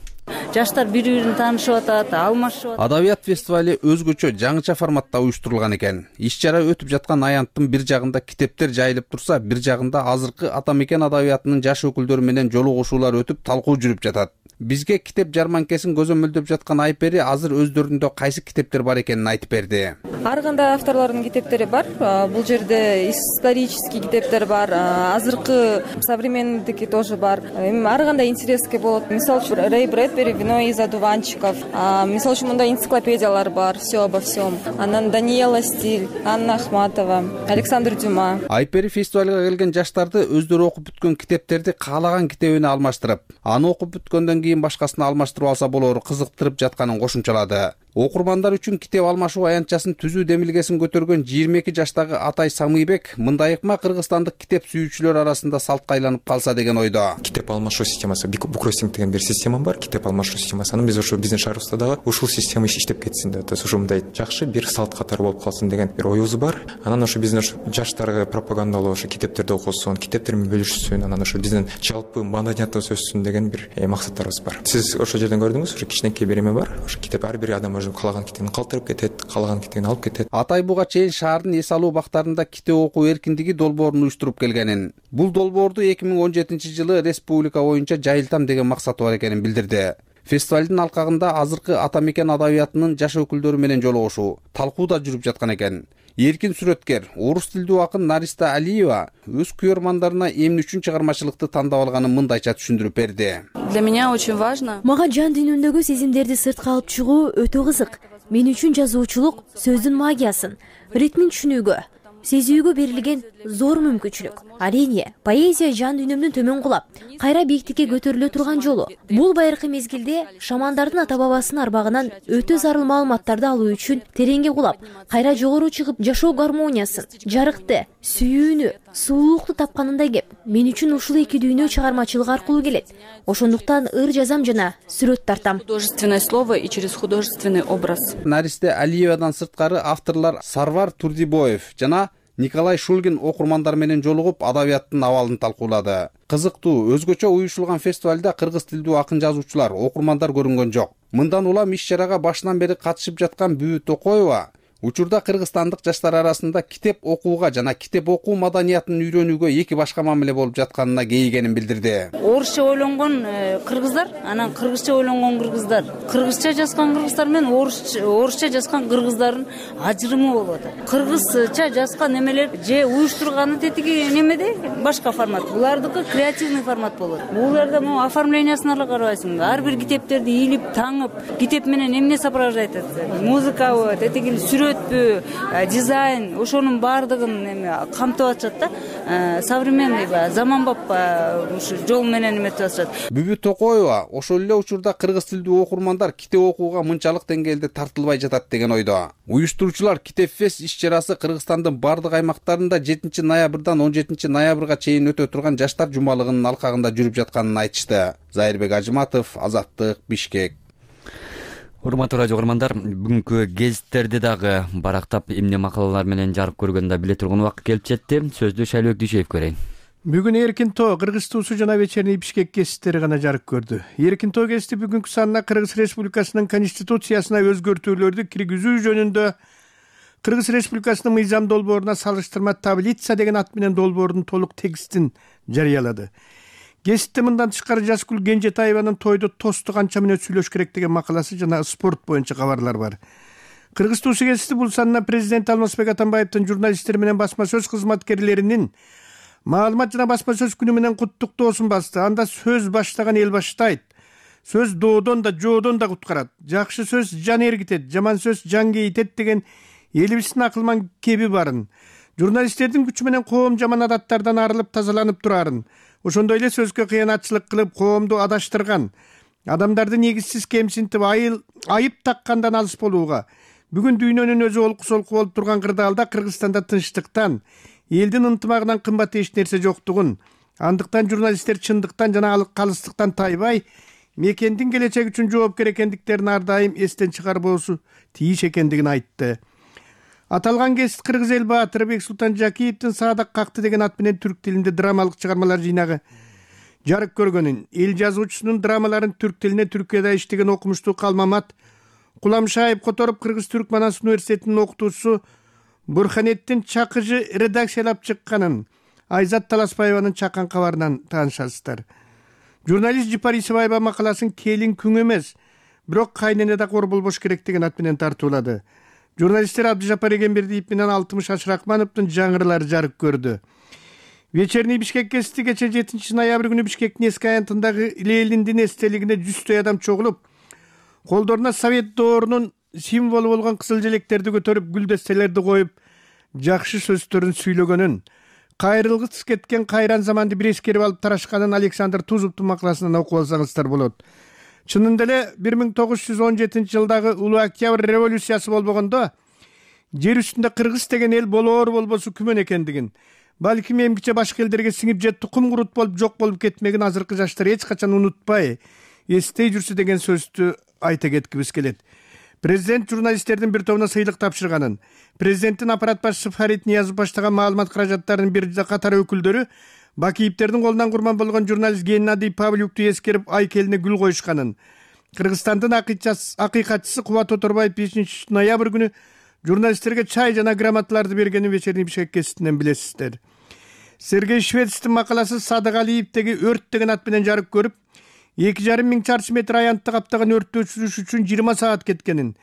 Жаштар бири-бирин таанышып атат, алмашып атат. Адабият фестивалы өзгөчө жаңыча форматта уюштурулган экен. Иш-чара өтүп жаткан аянттын бир жагында китептер жайылып турса, бир жагында азыркы ата мекен адабиятынын жаш өкүлдөрү менен жолугушуулар өтүп, талкуу жүрүп жатат. Бизге китеп жарманкесин көзөмөлдөп жаткан Айпери азыр өздөрүндө кайсы китептер бар экенин айтып берди. Ар кандай авторлордун китептери бар. Бул жерде исторический китептер бар, азыркы современныйдики тоже бар. Ар кандай интереске болот. Мисалы үчүн Рэй Брэдбери «Вино из одуванчиков». Мисалы үчүн мындай энциклопедиялар бар, все обо всем. Анан Даниэла Стиль, Анна Ахматова, Александр Дюма. Айпери фестивалга келген жаштарды өздөрү окуп бүткөн китептерди каалаган китебине алмаштырып, аны окуп бүткөндөн кийин башкасына алмаштырып алса болору кызыктырып жатканын кошумчалады. Окурмандар үчүн китеп алмашуу аянтчасын түзүү демилгесин көтөргөн 22 жаштагы Атай Самыйбек мындай ыкма кыргызстандык китеп сүйүүчүлөр арасында салтка айланып калса деген ойдо. Китеп алмашуу системасы, букростинг деген бир система бар, китеп алмашуу системасы. Аны биз ошо биздин шаарыбызда дагы ушул система иштеп кетсин деп, ошо мындай жакшы бир салт катары болуп калсын деген бир оюбуз бар. Анан ошо биздин жаштарга пропагандалоо, ошо китептерди окусун, китептер менен бөлүшсүн, анан ошо биздин жалпы маданиятыбыз өссүн деген бир максаттарыбыз бар. Сиз ошол жерден көрдүңүз, ошо кичинекей бир эме бар. Ошо китеп ар бир адам өзүнүн каалаган китебин калтырып кетет, каалаган китебин алып кетет. Атай буга чейин шаардын эс алуу бактарында китеп окуу эркиндиги долбоорун уюштуруп келгенин. Бул долбоорду 2017-жылы республика боюнча жайылтам деген максаты бар экенин билдирди. Фестивалдын алкагында азыркы ата мекен адабиятынын жаш өкүлдөрү менен жолугушуу, талкуу да жүрүп жаткан экен. Эркин сүрөткер, орус тилдүү акын Нариста Алиева өз күйөрмандарына эмне үчүн чыгармачылыкты тандап алганын мындайча түшүндүрүп берди. Для меня очень важно. Мага жан дүйнөмдөгү сезимдерди сыртка алып чыгуу өтө кызык. Мен үчүн жазуучулук сөздүн магиясын, ритмин түшүнүүгө, сезүүгө берилген зор мүмкүнчүлүк. Арийне, поэзия жан дүйнөмдүн төмөн кулап, кайра бийиктикке көтөрүлө турган жолу. Бул байыркы мезгилде шамандардын ата бабасынын арбагынан өтө зарыл маалыматтарды алуу үчүн тереңге кулап, кайра жогору чыгып жашоо гармониясын, жарыкты, сүйүүнү, сулуулукту тапканында кеп, мен үчүн ушул эки дүйнө чыгармачылык аркылуу келет. Ошондуктан ыр жазам жана сүрөт тартам. Художественное слово и через художественный образ. Наристе Алиевадан сырткары авторлор Сарвар Турдибоев жана Николай Шульгин окурмандар менен жолугуп адабияттын абалын талкуулады. Кызыктуу, өзгөчө уюштурулган фестивалда кыргыз тилдүү акын жазуучулар, окурмандар көрүнгөн жок. Мындан улам иш-чарага башынан бери катышып жаткан Бүбү Токоева учурда кыргызстандык жаштар арасында китеп окууга жана китеп окуу маданиятын үйрөнүүгө эки башка мамиле болуп жатканына кейигенин билдирди. Орусча ойлонгон кыргыздар, анан кыргызча ойлонгон кыргыздар, кыргызча жазган кыргыздар менен орусча жазган кыргыздардын ажырымы болуп атат. Кыргызча жазган эмелер же уюштурганы тетиги немеде башка формат, булардыкы креативный формат болот. Буларда оформлениясына эле карабайсың. Ар бир китептерди ийилип, таңып, китеп менен эмне сопровождать этет? Музыкабы, тетиги дизайн, ошонун баардыгын камтып атышат да. Современный, заманбап ушу жол менен эметип атышат. Бүбү Токоева ошол эле учурда кыргыз тилдүү окурмандар китеп окууга мынчалык деңгээлде тартылбай жатат деген ойдо. Уюштуруучулар Китеп фест иш-чарасы Кыргызстандын бардык аймактарында 7 ноябрдан 17 ноябрга чейин өтө турган жаштар жумалыгынын алкагында жүрүп жатканын айтышты. Зайырбек Ажыматов, Азаттык, Бишкек. Урматтуу радио көрөрмандар, бүгүнкү гезиттерди дагы барактап эмне макалалар менен жарык көргөндө биле турган убакыт келип жетти. Сөздү Шайлыбек Дүйшөев көрөйүн. Бүгүн Эркин тоо Кыргыз туусу жана вечерний Бишкек гезиттери гана жарык көрдү. Эркин тоо гезити бүгүнкү санына Кыргыз Республикасынын конституциясына өзгөртүүлөрдү киргизүү жөнүндө Кыргыз Республикасынын мыйзам долбооруна салыштырма таблица деген ат менен долбоордун толук текстин жарыялады. Гезитте мындан тышкары Жазгүл Кенжетаеванын тойду тосту канча менен сүйлөш керек деген макаласы жана спорт боюнча кабарлар бар. Кыргыз туусу гезити бул санына президент Алмазбек Атамбаевдин журналисттер менен басма сөз кызматкерлеринин маалымат жана басма сөз күнү менен куттуктоосун басты. Анда сөз баштаган эл баштайт. Сөз доодон да жоодон да куткарат. Жакшы сөз жан эргитет, жаман сөз жан кейитет деген элибиздин акылман кеби барын. Журналисттердин күчү менен коом жаман адаттардан арылып тазаланып турарын. Ошондой эле сөзгө кыянатчылык кылып коомду адаштырган, адамдарды негизсиз кемсинтип айып таккандан алыс болууга, бүгүн дүйнөнүн өзү олку-солку болуп турган кырдаалда Кыргызстанда тынчтыктан, элдин ынтымагынан кымбат эч нерсе жоктугун, андыктан журналисттер чындыктан жана калыстыктан тайбай, мекендин келечеги үчүн жоопкер экендиктерин ар дайым эстен чыгарбоосу тийиш экендигин айтты. Аталган гезит Кыргыз эл баатыры Бексултан Жакиевдин Саадак какты деген ат менен түрк тилинде драмалык чыгармалар жыйнагы жарык көргөнүн, эл жазуучусунун драмаларын түрк тилине Түркияда иштеген окумуштуу Калмамат Куламшаев которуп Кыргыз Түрк Манас университетинин окутуучусу Бурханеттин Чакыжы редакциялап чыкканын Айзат Таласпаеванын чакан кабарынан таанышасыздар. Журналист Жипари Исабаева макаласын келин күң эмес, бирок кайнене да кор болбош керек деген ат менен тартуулады. Журналисттер Абдыжапар Эгембердиев менен Алтымыш Ашракмановдун жаңырылары жарык көрдү. Вечерний Бишкек гезити кече 7 ноябрь күнү Бишкектин эски аянтындагы Лениндин эстелигине 100 адам чогулуп, колдоруна Совет доорунун символу болгон кызыл желектерди көтөрүп, гүлдестелерди коюп, жакшы сөздөрүн сүйлөгөнүн, кайрылгыс кеткен кайран заманды бир эскерип алып тарашканын Александр Тузовдун макаласынан окуп алсаңыздар болот. Чынында эле 1917 жылдагы Улуу Октябрь революциясы болбогондо жер үстүндө кыргыз деген эл болоор болбосу күмөн экендигин, балким эмгиче башка элдерге сиңип же тукум курут болуп жок болуп кетмегин азыркы жаштар эч качан унутпай, эстей жүрсү деген сөздү айта кеткибиз келет. Президент журналисттердин бир тобуна сыйлык тапшырганын, президенттин аппарат башчысы Фарид Ниязов баштаган маалымат каражаттарынын бир катар өкүлдөрү Бакиевтердин колунан курман болгон журналист Геннадий Павлюкту эскерип айкелине гүл коюшканын, Кыргызстандын акыйкатчысы Кубат Оторбаев 5 ноябрь күнү журналисттерге чай жана грамоталарды бергенин вечерний Бишкек гезитинен билесиздер. Сергей Швецтин макаласы Садык Алиевдеги өрт деген ат менен жарык көрүп, 2,5 миң чарчы метр аянтты каптаган өрттү өчүрүш үчүн 20 саат кеткенин,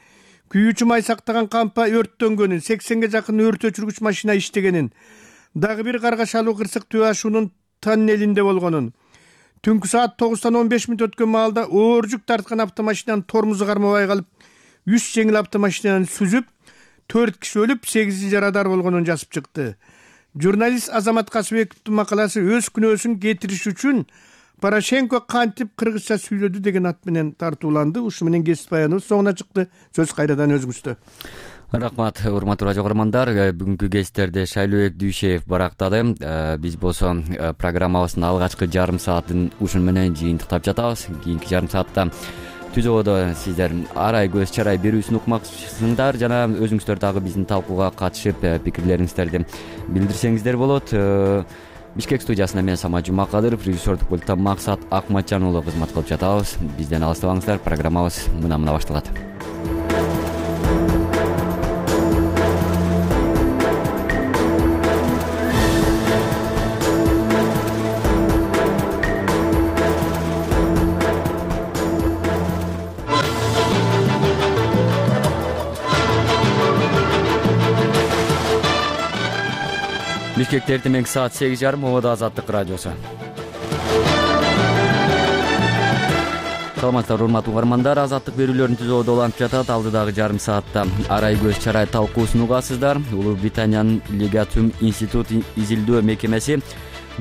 күйүүчү май сактаган кампа өрттөнгөнүн, 80ге жакын өрт өчүргүч машина иштегенин, дагы бир каргашалуу кырсык Түбө ашуунун тоннелинде болгонун, түнкү саат 9-тан 15 мүнөт өткөн маалда оор жүк тарткан автомашинанын тормозу кармабай калып, 100 жеңил автомашинаны сүзүп, 4 киши өлүп 8 жарадар болгонун жазып чыкты. Журналист Азамат Касыбековдун макаласы өз күнөөсүн кетириш үчүн Порошенко кантип кыргызча сүйлөдү деген ат менен тартууланды. Ушу менен кесип баяныбыз соңуна чыкты. Сөз кайрадан өзүңүздө. Рахмат, урматтуу радио көрөрмандар. Бүгүнкү кесиптерди Шайлообек Дүйшеев барактады. Биз болсо программабыздын алгачкы жарым саатын ушун менен жыйынтыктап жатабыз. Кийинки жарым саатта түзөөдө сиздер арай көз чарай берүүсүн укмакчысыңдар жана өзүңүздөр дагы биздин талкууга катышып пикирлериңиздерди билдирсеңиздер болот. Бишкек студиясында мен Самат Жумакадыров, режиссердук пульттан Максат Акматжан уулу кызмат кылып жатабыз. Бизден алыстабаңыздар, программабыз мына башталат. Бишкекте эртең саат 8:30 Ободо Азаттык радиосу. Саламатсыздар урматтуу угармандар, Азаттык берүүлөрүн түзүүдө уланып жатат. Алдыдагы жарым саатта арай көз чарай талкуусун угасыздар. Улуу Британиянын Legatum Institute изилдөө мекемеси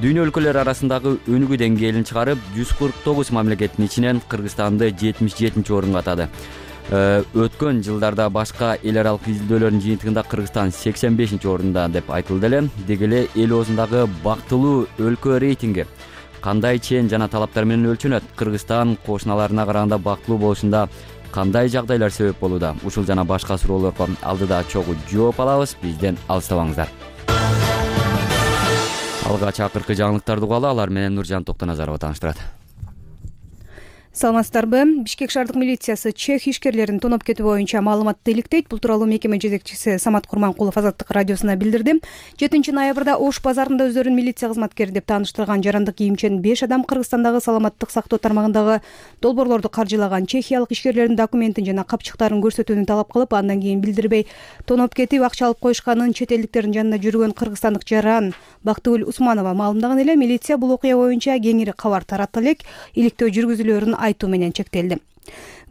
дүйнө өлкөлөрү арасындагы өнүгүү деңгээлин чыгарып, 149 мамлекеттин ичинен Кыргызстанды 77-орунга атады. Өткөн жылдарда башка эл аралык изилдөөлөрдүн жыйынтыгында Кыргызстан 85-орунда деп айтылды эле. Деги эле эл оозундагы бактылуу өлкө рейтинги кандай чен жана талаптар менен өлчөнөт? Кыргызстан кошуналарына караганда бактылуу болушунда кандай жагдайлар себеп болууда? Ушул жана башка суроолорго алдыда чогуу жооп алабыз. Бизден алыстабаңыздар. Алгач акыркы жаңылыктарды угалы, алар менен Нуржан Токтоназарова тааныштырат. Саламатсыздарбы? Бишкек шаардык милициясы чех ишкерлерин тоноп кетүү боюнча маалыматты иликтейт. Бул тууралуу мекеме жетекчиси Самат Курманкулов Азаттык радиосуна билдирди. 7 ноябрда Ош базарында өздөрүн милиция кызматкери деп тааныштырган жарандык кийимчен 5 адам Кыргызстандагы саламаттык сактоо тармагындагы долбоорлорду каржылаган чехиялык ишкерлердин документин жана капчыктарын көрсөтүүнү талап кылып, андан кийин билдирбей тоноп кетип, акча алып коюшканын чет элдиктердин жанында жүргөн кыргызстандык жаран Бактыгүл Усманова маалымдаган эле. Милиция бул окуя боюнча кеңири кабар таратты элек. Иликтөө жүргүзүлөөрүн айтуу менен чектелди.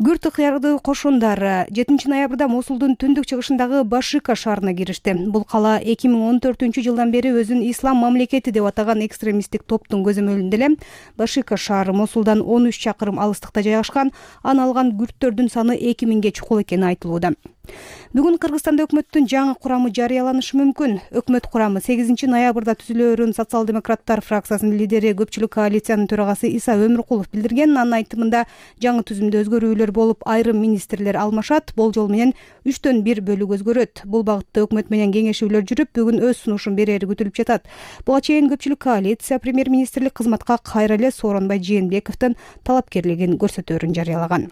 Күрт ыктыярдуу кошундар 7 ноябрда Мосулдун түндүк чыгышындагы Башика шаарына киришти. Бул кала 2014-жылдан бери өзүн ислам мамлекети деп атаган экстремисттик топтун көзөмөлүндө эле. Башика шаары Мосулдан 13 чакырым алыстыкта жайгашкан. Аны алган күрттөрдүн саны 2000ге чукул экени айтылууда. Бүгүн Кыргызстанда өкмөттүн жаңы курамы жарыяланышы мүмкүн. Өкмөт курамы 8 ноябрда түзүлөөрүн социал-демократтар фракциясынын лидери, көпчүлүк коалициянын төрагасы Иса Өмүркулов билдирген. Анын айтымында жаңы түзүмдө өзгөрүүлөр болуп, айрым министрлер алмашат. Болжол менен 3төн 1 бөлүк өзгөрөт. Бул багытта өкмөт менен кеңешүүлөр жүрүп, бүгүн өз сунушун берери күтүлүп жатат. Буга чейин көпчүлүк коалиция премьер-министрлик кызматка кайра эле Сооронбай Жээнбековдун талапкерлигин көрсөтөөрүн жарыялаган.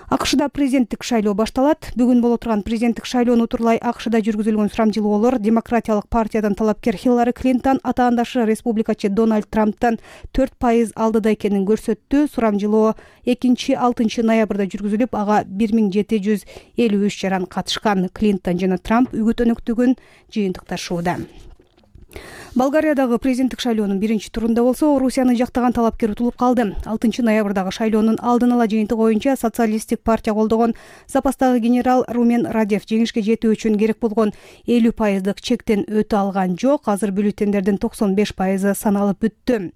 АКШда президенттик шайлоо башталат. Бүгүн боло турган президенттик шайлоону утурлай АКШда жүргүзүлгөн сурамжылоолор демократиялык партиядан талапкер Хиллари Клинтон атаандашы республикачы Дональд Трамптан 4% алдыда экенин көрсөттү. Сурамжылоо 2-6 ноябрда жүргүзүлүп, ага 1753 жаран катышкан. Клинтон жана Трамп үгүт өнөктүгүн жыйынтыкташууда. Болгариядагы президенттик шайлоонун биринчи турунда болсо, Орусияны жактаган талапкер утулуп калды. 6 ноябрдагы шайлоонун алдын ала жыйынтыгы боюнча социалисттик партия колдогон запастагы генерал Румен Радев жеңишке жетүү үчүн керек болгон 50% чектен өтө алган жок. Азыр бюллетендердин 95% саналып бүттү.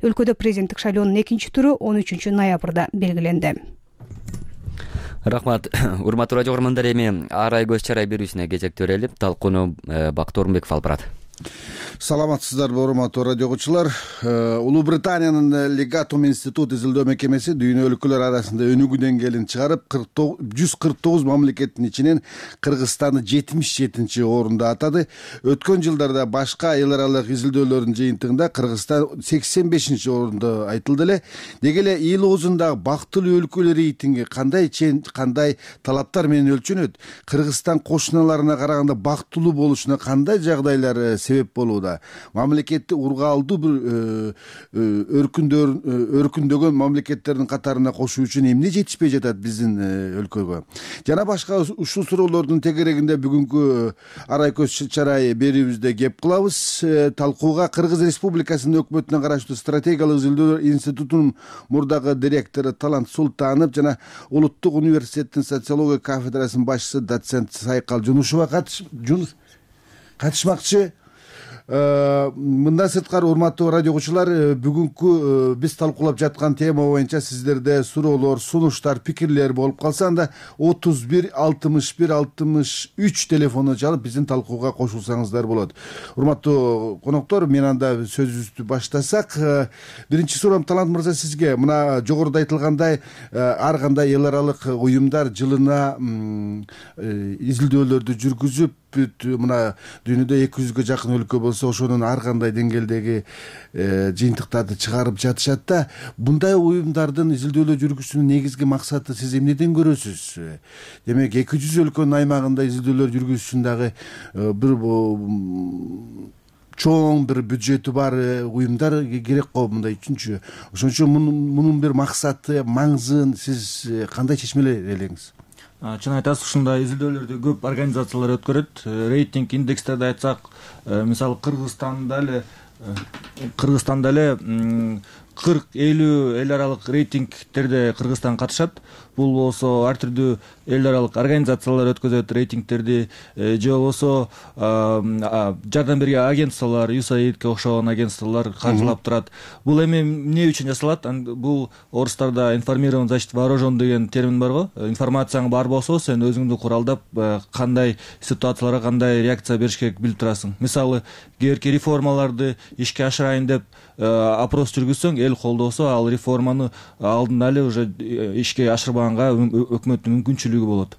Өлкөдө президенттик шайлоонун экинчи туру 13 ноябрда белгиленди. Рахмат. Урматтуу радио көрөрмандар, эми арай көз чарай берүүсүнө кезек төрөлүп, талкууну Бактор Орунбеков алып барат. Саламатсыздарбы урматтуу радио окуучулар. Улуу Британиянын Legatum Institute изилдөө мекемеси дүйнө өлкөлөрү арасында өнүгүү деңгээлин чыгарып, 149 мамлекеттин ичинен Кыргызстанды 77-орунда атады. Өткөн жылдарда башка эл аралык изилдөөлөрдүн жыйынтыгында Кыргызстан 85-орунда айтылды эле. Деги эле эл оозундагы бактылуу өлкө рейтинги кандай чен, кандай талаптар менен өлчөнөт? Кыргызстан кошуналарына караганда бактылуу болушуна кандай жагдайлар себеп болууда? учурда мамлекетти ургаалдуу бир өркүндөгөн мамлекеттердин катарына кошуу үчүн эмне жетишпей жатат биздин өлкөгө жана башка ушул суроолордун тегерегинде бүгүнкү арай көз чарай берүүбүздө кеп кылабыз. Талкууга Кыргыз Республикасынын өкмөтүнө караштуу стратегиялык изилдөөлөр институтунун мурдагы директору Талант Султанов жана Улуттук университеттин социология кафедрасынын башчысы доцент Сайкал Жунушева катышмакчы. Мындан сырткары урматтуу радио угуучулар, бүгүнкү биз талкуулап жаткан тема боюнча сиздерде суроолор, сунуштар, пикирлер болуп калса, анда 31 61 63 телефону чалып биздин талкууга кошулсаңыздар болот. Урматтуу коноктор, мен анда сөзүбүздү баштасак, биринчи суроом Талант мырза сизге. Мына жогоруда айтылгандай, ар кандай эл аралык уюмдар жылына изилдөөлөрдү жүргүзүп, мына дүйнөдө 200гө жакын өлкө болсо ошонун ар кандай деңгээлдеги жыйынтыктарды чыгарып жатышат да. Мындай уюмдардын изилдөөлөр жүргүзүүнүн негизги максаты сиз эмнеден көрөсүз? Демек 200 өлкөнүн аймагында изилдөөлөр жүргүзүш үчүн дагы бир чоң бир бюджети бар уюмдар керек го мындай үчүнчү. Ошон үчүн мунун бир максаты, маңызын сиз кандай чечмелер элеңиз? Чын айтасыз, ушундай изилдөөлөрдү көп организациялар өткөрөт. Рейтинг индекстерди айтсак, мисалы Кыргызстанда эле 40-50 эл аралык рейтингтерде Кыргызстан катышат. Бул болсо ар түрдүү эл аралык организациялар өткөзөт рейтингтерди, же болбосо жардам берген агентстволор, USAIDке окшогон агентстволор каржылап турат. Бул эми эмне үчүн жасалат? Бул орустарда информированный защита вооружен деген термин бар го. Информацияң бар болсо, сен өзүңдү куралдап кандай ситуацияларга кандай реакция бериш керек билип турасың. Мисалы, кээерки реформаларды ишке ашырайын деп опрос жүргүзсөң, эл колдосо, ал реформаны алдында эле уже ишке ашырбаганга өкмөттүн мүмкүнчүлүгү болот.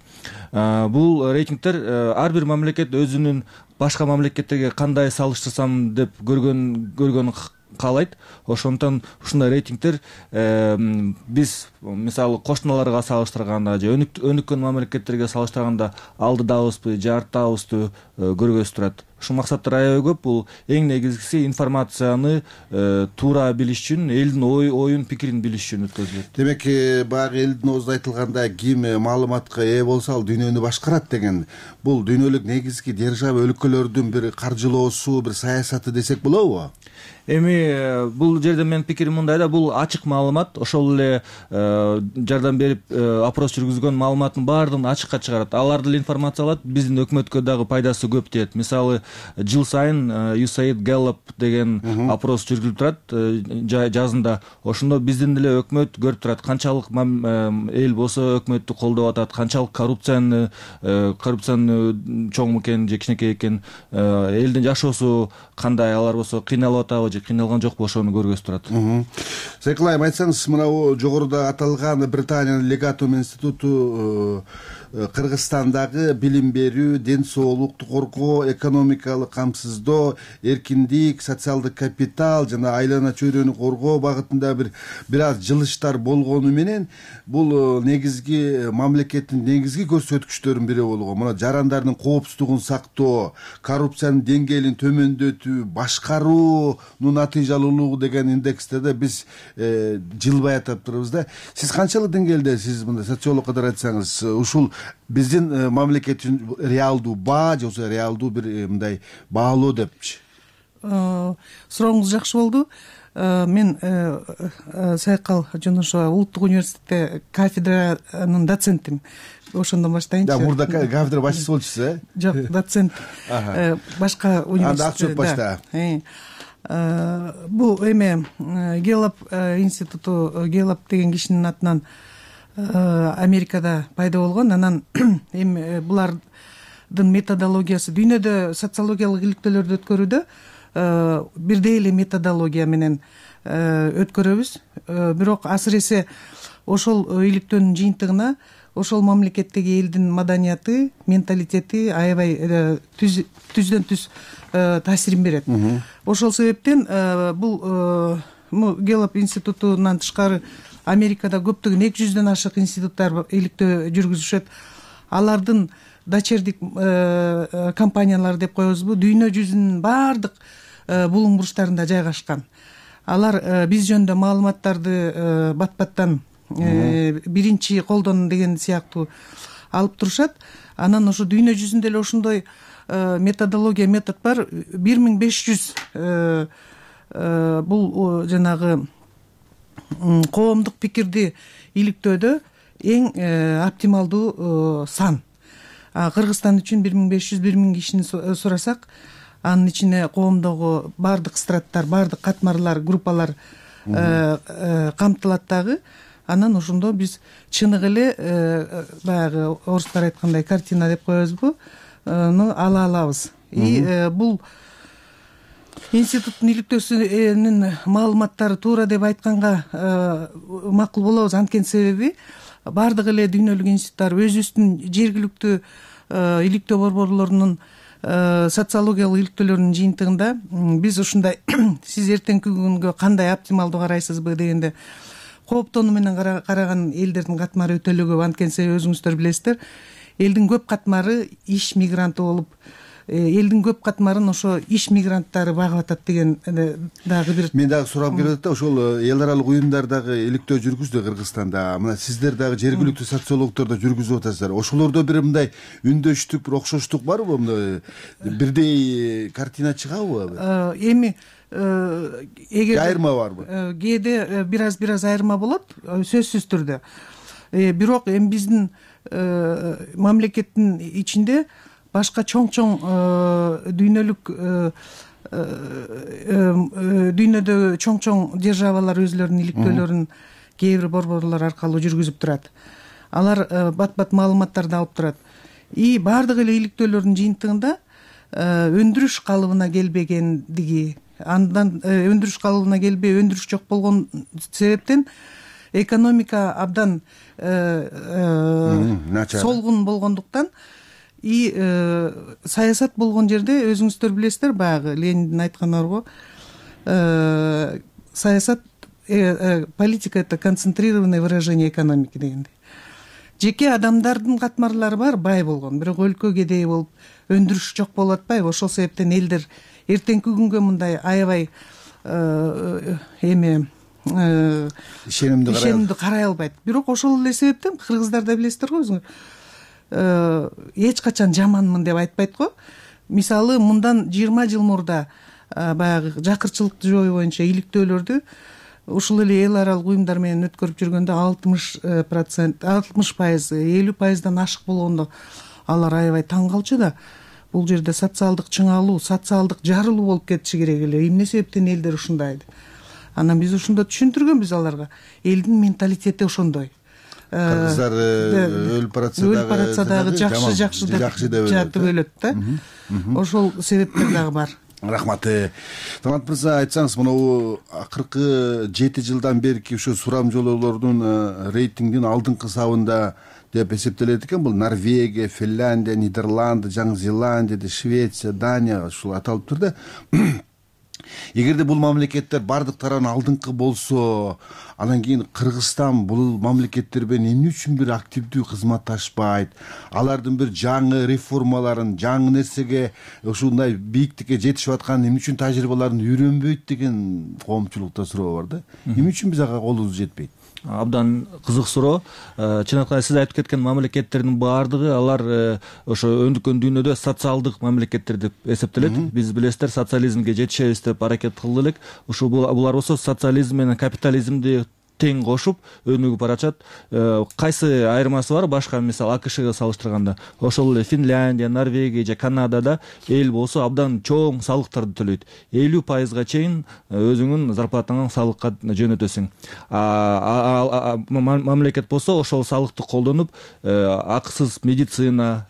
Бул рейтингтер ар бир мамлекет өзүнүн башка мамлекеттерге кандай салыштырсам деп көргөнүн каалайт. Ошондон ушундай рейтингтер биз мисалы кошуналарга салыштырганда же өнүккөн мамлекеттерге салыштырганда алдыдабызбы, же арттабызбы көргөзүп турат. Ушул максаттар аябай көп. Бул эң негизгиси информацияны туура билиш үчүн, элдин оюн, пикирин билиш үчүн өткөзүлөт. Демек, баягы элдин оозунда айтылгандай, ким маалыматка ээ болсо ал дүйнөнү башкарат деген. Бул дүйнөлүк негизги держава өлкөлөрдүн бир каржылоосу, бир саясаты десек болобу? Эми бул жерде менин пикирим мындай да, бул ачык маалымат. Ошол эле жардам берип опрос жүргүзгөн маалыматтын баардыгын ачыкка чыгарат. Аларды эле информация алат, биздин өкмөткө дагы пайдасы көп тиет. Мисалы, жыл сайын USAID Gallup деген опрос жүргүзүлүп турат жазында. Ошондо биздин эле өкмөт көрүп турат канчалык эл болсо өкмөттү колдоп атат, канчалык коррупцияны чоң экен же кичинекей экен, элдин жашоосу кандай, алар болсо кыйналып атабы же кыйналган жокпу, ошону көргөзүп турат. Сайкал айым, айтсаңыз, мына жогоруда аталган Британиянын Легатум институту Кыргызстандагы билим берүү, ден соолукту коргоо, экономикалык камсыздоо, эркиндик, социалдык капитал жана айлана чөйрөнү коргоо багытында бир аз жылыштар болгону менен бул негизги мамлекеттин негизги көрсөткүчтөрүнүн бири болгон. Мына жарандардын коопсуздугун сактоо, коррупциянын деңгээлин төмөндөтүү, башкаруунун натыйжалуулугу деген индекстерде биз жылбай атап турабыз да. Сиз канчалык деңгээлде, сиз мындай социолог катары айтсаңыз, ушул биздин мамлекет үчүн реалдуу баа же болбосо реалдуу бир мындай баалоо депчи? Сурооңуз жакшы болду. Мен Сайкал Жунушева, Улуттук университетте кафедранын доцентимин. Ошондон баштайынчы. Да, мурда кафедра башчысы болчусуз, э? Жок, доцент. Башка университет. Анда акча башта. Бул эме Gallup институту, Gallup деген кишинин атынан Америкада пайда болгон. Анан эми булардын методологиясы дүйнөдө социологиялык иликтөөлөрдү өткөрүүдө бирдей эле методология менен өткөрөбүз. Бирок асыресе ошол иликтөөнүн жыйынтыгына ошол мамлекеттеги элдин маданияты, менталитети аябай түздөн түз таасирин берет. Ошол себептен бул Gallup институтунан тышкары Америкада көптөгөн 200дөн ашык институттар иликтөө жүргүзүшөт. Алардын дочердик компаниялары деп коебузбу, дүйнө жүзүнүн баардык булуң бурчтарында жайгашкан. Алар биз жөнүндө маалыматтарды бат баттан биринчи колдон деген сыяктуу алып турушат. Анан ошо дүйнө жүзүндө эле ошондой метод бар. 1500 бул жанагы коомдук пикирди иликтөөдө эң оптималдуу сан. Кыргызстан үчүн 1500-1000 кишини сурасак, анын ичине коомдогу баардык страттар, баардык катмарлар, группалар камтылат дагы. Анан ошондо биз чыныгы эле баягы орустар айткандай картина деп коебузбу, ала алабыз. Бул институттун иликтөөсүнүн маалыматтары туура деп айтканга макул болобуз. Анткени себеби баардык эле дүйнөлүк институттар өзүбүздүн жергиликтүү иликтөө борборлорунун социологиялык иликтөөлөрүнүн жыйынтыгында биз ушундай сиз эртеңки күнгө кандай оптималдуу карайсызбы дегенде кооптонуу менен караган элдердин катмары өтө эле көп. Анткени себеби өзүңүздөр билесиздер, элдин көп катмары иш мигранты болуп, элдин көп катмарын ошо иш мигранттары багып атат деген дагы бир. Мен дагы сурап келип атат да, ошол эл аралык уюмдар дагы иликтөө жүргүздү Кыргызстанда. Мына сиздер дагы жергиликтүү социологдор да жүргүзүп атасыздар. Ошолордо бир мындай үндөштүк, бир окшоштук барбы? Мындай бирдей картина чыгабы? Эми эгер айырма барбы? Кээде бир аз айырма болот, сөзсүз түрдө. Бирок эми биздин мамлекеттин ичинде башка чоң дүйнөдө чоң державалар өзлөрүнүн иликтөөлөрүн кээ бир борборлор аркылуу жүргүзүп турат. Алар бат маалыматтарды алып турат. Баардык эле иликтөөлөрдүн жыйынтыгында өндүрүш калыбына келбегендиги, андан өндүрүш калыбына келбей өндүрүш жок болгон себептен экономика абдан солгун болгондуктан саясат болгон жерде өзүңүздөр билесиздер, баягы Лениндин айтканы бар, саясат политика — это концентрированное выражение экономики дегендей. Жеке адамдардын катмарлары бар, бай болгон, бирок өлкө кедей болуп өндүрүш жок болуп атпайбы? Ошол себептен элдер эртеңки күнгө мындай аябай ишенимдүү карай албайт. Бирок ошол эле себептен кыргыздарда билесиздер го өзүңөр, эч качан жаманмын деп айтпайт го. Мисалы, мындан 20 жыл мурда баягы жакырчылык жою боюнча иликтөөлөрдү ушул эле эл аралык уюмдар менен өткөрүп жүргөндө 60%, 50%дан ашык болгондо алар аябай таң калчу да. Бул жерде социалдык чыңалуу, социалдык жарылуу болуп кетиши керек эле. Эмне себептен элдер ушундай? Анан биз ошондо түшүндүргөнбүз аларга. Элдин менталитети ошондой. Кыргыздар өлүп баратса дагы жакшы деп жатып өлөт да. Ошол себептер дагы бар. Рахмат. Талант мырза, айтсаңыз, мына акыркы 7 жылдан берки ушу сурамжылоолордун рейтингдин алдыңкы сабында деп эсептелет экен. Бул Норвегия, Финляндия, Нидерланд, Жаңы Зеландия, Швеция, Дания ушул аталып тур да. Эгерде бул мамлекеттер бардык тарабынан алдыңкы болсо, анан кийин Кыргызстан бул мамлекеттер менен эмне үчүн бир активдүү кызматташпайт? Алардын бир жаңы реформаларын, жаңы нерсеге, ушундай бийиктикке жетишип аткан эмне үчүн тажрыйбаларын үйрөнбөйт деген коомчулукта суроо бар да. Эмне үчүн биз ага колубуз жетпейт? Абдан кызык суроо. Чыныкта сиз айтып кеткен мамлекеттердин баардыгы алар ошо өндүккөн дүйнөдө социалдык мамлекеттер деп эсептелет. Биз билесиздер, социализмге жетишебиз деп аракет кылды элек. Ошо булар болсо социализм менен капитализмди тең кошуп өнүгүп баратат. Кайсы айырмасы бар башка, мисалы АКШга салыштырганда? Ошол эле Финляндия, Норвегия же Канадада эл болсо абдан чоң салыктарды төлөйт. 50% чейин өзүңүн зарплатаңан салыкка жөнөтөсүң. Мамлекет болсо ошол салыкты колдонуп, акысыз медицина,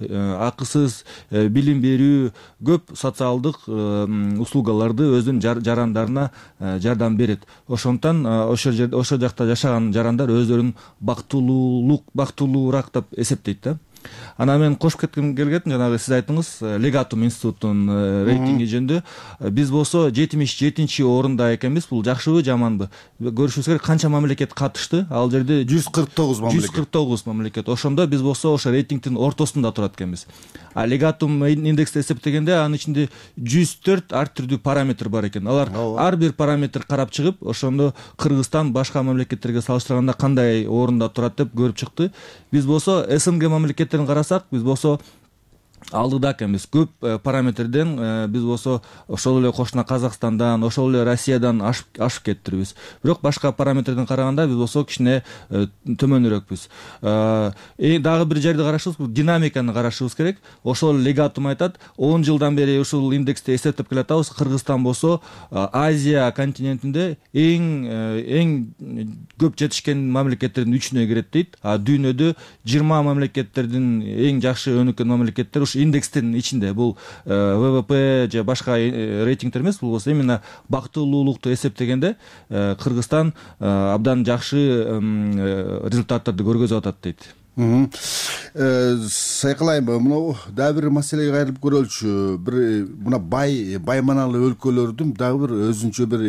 акысыз билим берүү, көп социалдык услугаларды өзүнүн жарандарына жардам берет. Ошондон ошол жакта жашаган жарандар өздөрүн бактылуураак деп эсептейт да. Анан мен кошуп кетким келген, жанагы сиз айттыңыз Легатум институтунун рейтинги жөнүндө. Биз болсо 77-орунда экенбиз. Бул жакшыбы, жаманбы? Көрүшүбүз керек, канча мамлекет катышты? Ал жерде 149 мамлекет. 149 мамлекет. Ошондо биз болсо ошо рейтингдин ортосунда турат экенбиз. А Легатум индексти эсептегенде анын ичинде 104 ар түрдүү параметр бар экен. Алар ар бир параметр карап чыгып, ошондо Кыргызстан башка мамлекеттерге салыштырганда кандай орунда турат деп көрүп чыкты. Биз болсо СНГ мамлекеттерин карасак, биз болсо алдыда экенбиз. Көп параметрден биз болсо ошол эле кошуна Казакстандан, ошол эле Россиядан ашып кеттирбиз. Бирок башка параметрден караганда биз болсо кичине төмөнүрөкпүз. Дагы бир жерди карашыбыз, динамиканы карашыбыз керек. Ошол Легатум айтат, 10 жылдан бери ушул индексти эсептеп келатабыз. Кыргызстан болсо Азия континентинде эң көп жетишкен мамлекеттердин 3-үнө кирет дейт. А дүйнөдө 20 мамлекеттердин эң жакшы өнүккөн мамлекеттер индекстин ичинде. Бул ВВП же башка рейтингдер эмес, бул болсо именно бактылуулукту эсептегенде Кыргызстан абдан жакшы результаттарды көргөзүп атат дейт. Сайкалайбы, мына дагы бир маселеге кайрылып көрөлүчү. Бир мына байманалы өлкөлөрдүн дагы бир өзүнчө бир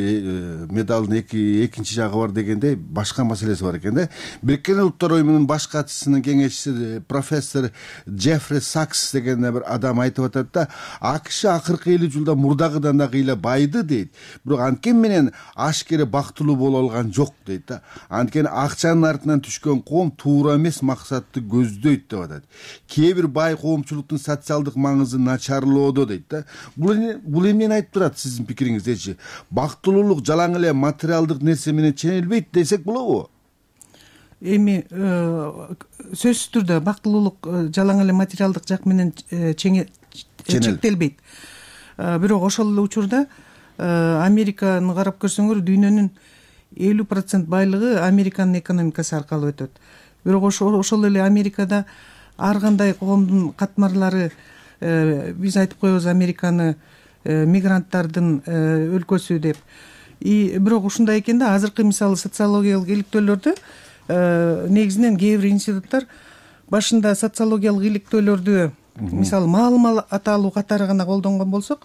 медалдын экинчи жагы бар дегенде башка маселеси бар экен да. Бириккен Улуттар уюмунун баш катчысынын кеңешчиси профессор Джеффри Сакс деген бир адам айтып атат да, АКШ акыркы 50 жылда мурдагыдан да кыйла байды дейт. Бирок анткени менен ашкере бактылуу боло алган жок дейт да. Анткени акчанын артынан түшкөн коом туура эмес максат көздөйт деп атат. Кээ бир бай коомчулуктун социалдык маңызы начарлоодо дейт да. Бул эмнени айтып турат сиздин пикириңиздечи? Бактылуулук жалаң эле материалдык нерсе менен ченелбейт десек болобу? Эми сөзсүз түрдө бактылуулук жалаң эле материалдык жак менен чектелбейт. Бирок ошол эле учурда Американы карап көрсөңөр, дүйнөнүн 50% байлыгы Американын экономикасы аркылуу өтөт. Бирок ошол эле Америкада ар кандай коомдун катмарлары, биз айтып коебуз Американы мигранттардын өлкөсү деп. Бирок ушундай экен да, азыркы мисалы социологиялык иликтөөлөрдө негизинен кээ бир институттар башында социологиялык иликтөөлөрдү мисалы маалымат аталуу катары гана колдонгон болсок,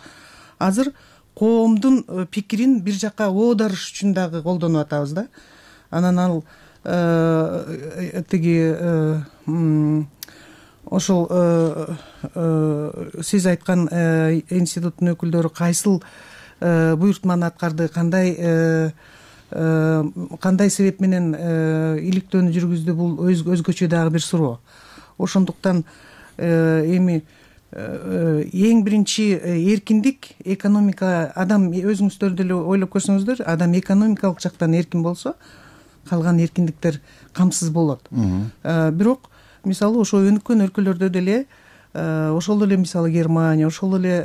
азыр коомдун пикирин бир жакка оодарыш үчүн дагы колдонуп атабыз да. Анан ал ошол сиз айткан институттун өкүлдөрү кайсыл буйртманы аткарды, кандай себеп менен иликтөөнү жүргүздү, бул өзгөчө дагы бир суроо. Ошондуктан эми эң биринчи эркиндик экономика, адам өзүңүздөр деле ойлоп көрсөңүздөр, адам экономикалык жактан эркин болсо, калган эркиндиктер камсыз болот. Бирок мисалы ошо өнүккөн өлкөлөрдө деле, ошол эле мисалы Германия, ошол эле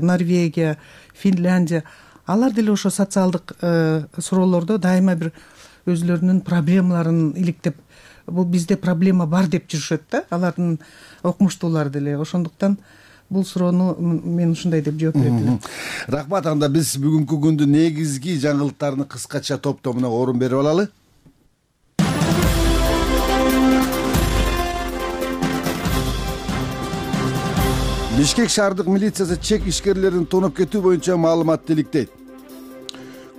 Норвегия, Финляндия, алар деле ошо социалдык суроолордо дайыма бир өзүлөрүнүн проблемаларын иликтеп, бул бизде проблема бар деп жүрүшөт да, алардын окумуштуулары деле. Ошондуктан бул суроону мен ушундай деп жооп берет элем. Рахмат. Анда биз бүгүнкү күндүн негизги жаңылыктарына кыскача топтомуна орун берип алалы. Бишкек шаардык милициясы чек ишкерлерин тоноп кетүү боюнча маалымат иликтейт.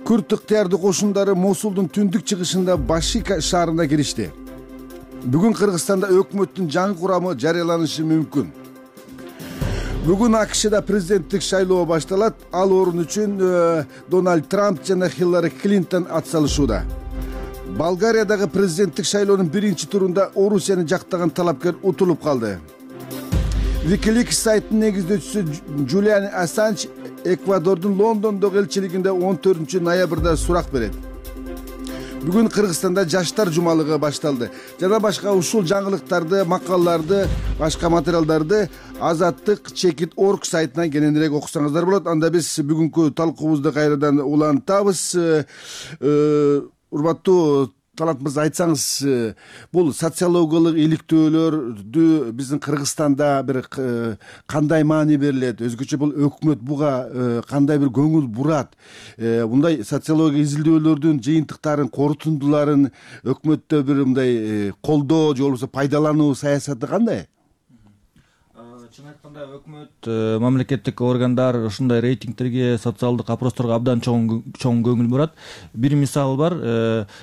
Күрд ыктыярдуу кошундары Мосулдун түндүк чыгышында Башика шаарына киришти. Бүгүн Кыргызстанда өкмөттүн жаңы курамы жарыяланышы мүмкүн. Бүгүн АКШда президенттик шайлоо башталат. Ал орун үчүн Дональд Трамп жана Хиллари Клинтон ат салышууда. Болгариядагы президенттик шайлоонун биринчи турунда Орусияны жактаган талапкер утулуп калды. Wikileaks сайтынын негиздөөчүсү Джулиан Ассанж Эквадордун Лондондогу элчилигинде 14 ноябрда сурак берет. Бүгүн Кыргызстанда жаштар жумалыгы башталды. Жана башка ушул жаңылыктарды, макалаларды, башка материалдарды Азаттык.org сайтынан кененирээк окусаңыздар болот. Анда биз бүгүнкү талкуубузду кайрадан улантабыз. Урматтуу Талант мырза, айтсаңыз, бул социологиялык иликтөөлөрдү биздин Кыргызстанда бир кандай маани берилет, өзгөчө бул өкмөт буга кандай бир көңүл бурат, мындай социология изилдөөлөрдүн жыйынтыктарын, корутундуларын өкмөттө бир мындай колдоо же болбосо пайдалануу саясаты кандай? Чын айтканда өкмөт, мамлекеттик органдар ушундай рейтингтерге, социалдык опросторго абдан чоң көңүл бурат. Бир мисал бар,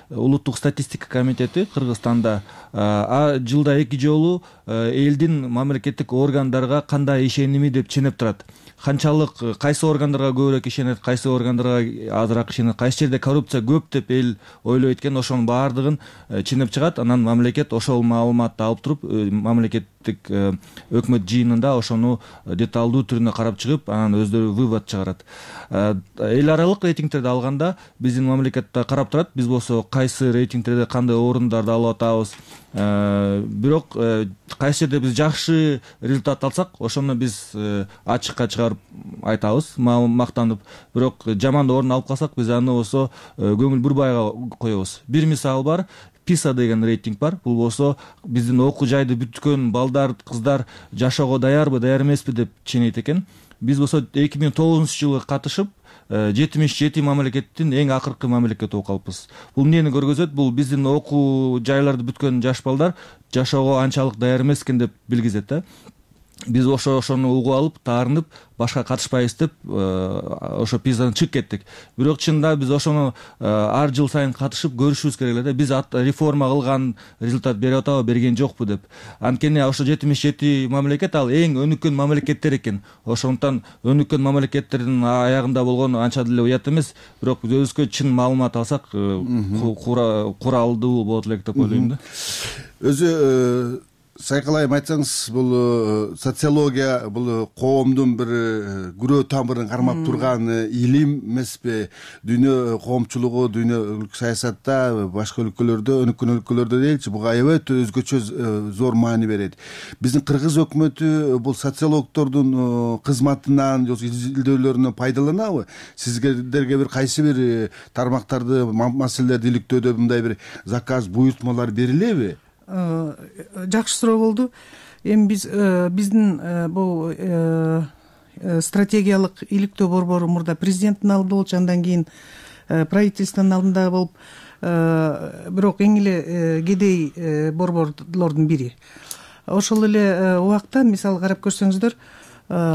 улуттук статистика комитети Кыргызстанда жылда 2 жолу элдин мамлекеттик органдарга кандай ишеними деп ченеп турат. Канчалык кайсы органдарга көбүрөөк ишенет, кайсы органдарга азыраак ишенет, кайсы жерде коррупция көп деп эл ойлойт экен, ошонун баардыгын ченеп чыгат. Анан мамлекет ошол маалыматты алып туруп, мамлекеттик өкмөт жыйынында ошону деталдуу түрүнө карап чыгып, анан өздөрү вывод чыгарат. Эл аралык рейтингтерди алганда биздин мамлекетте карап турат, биз болсо кайсы рейтингтерде кандай орундарды алып атабыз. Бирок кайсы жерде биз жакшы результат алсак, ошону биз ачыкка чыгарып айтабыз, мактанып. Бирок жаман орун алып калсак, биз аны болсо көңүл бурбай коебуз. Бир мисал бар, PISA деген рейтинг бар. Бул болсо биздин окуу жайды бүткөн балдар, кыздар жашоого даярбы, даяр эмеспи деп ченейт экен. Биз болсо 2009-жылы катышып 77 мамлекеттин эң акыркы мамлекети болуп калыппыз. Бул эмнени көргөзөт? Бул биздин окуу жайларды бүткөн жаш балдар жашоого анчалык даяр эмес экен деп билгизет да. Биз ошону угуп алып, таарынып, башка катышпайбыз деп ошо PISAдан чыгып кеттик. Бирок чынында биз ошону ар жыл сайын катышып көрүшүбүз керек эле да. Биз реформа кылган результат берип атабы, берген жокпу деп. Анткени ошо 77 мамлекет ал эң өнүккөн мамлекеттер экен. Ошондуктан өнүккөн мамлекеттердин аягында болгону анча деле уят эмес. Бирок өзүбүзгө чын маалымат алсак, куралдуу болот элек деп ойлойм да. Өзү сайкалайым айтсаңыз, бул социология бул коомдун бир күрөө тамырын кармап турган илим эмеспи? Дүйнө коомчулугу, дүйнөлүк саясатта, башка өлкөлөрдө, өнүккөн өлкөлөрдө делчи, буга аябай өзгөчө зор маани берет. Биздин кыргыз өкмөтү бул социологтордун кызматынан, изилдөөлөрүнөн пайдаланабы? Сиздерге бир кайсы бир тармактарды, маселелерди иликтөөдө мындай бир заказ, буйртмалар берилеби? Жакшы суроо болду. Эми биздин бул стратегиялык иликтөө борбору мурда президенттин алдында болчу, андан кийин правительствонун алдында болуп, бирок эң эле кедей борборлордун бири. Ошол эле убакта мисалы карап көрсөңүздөр,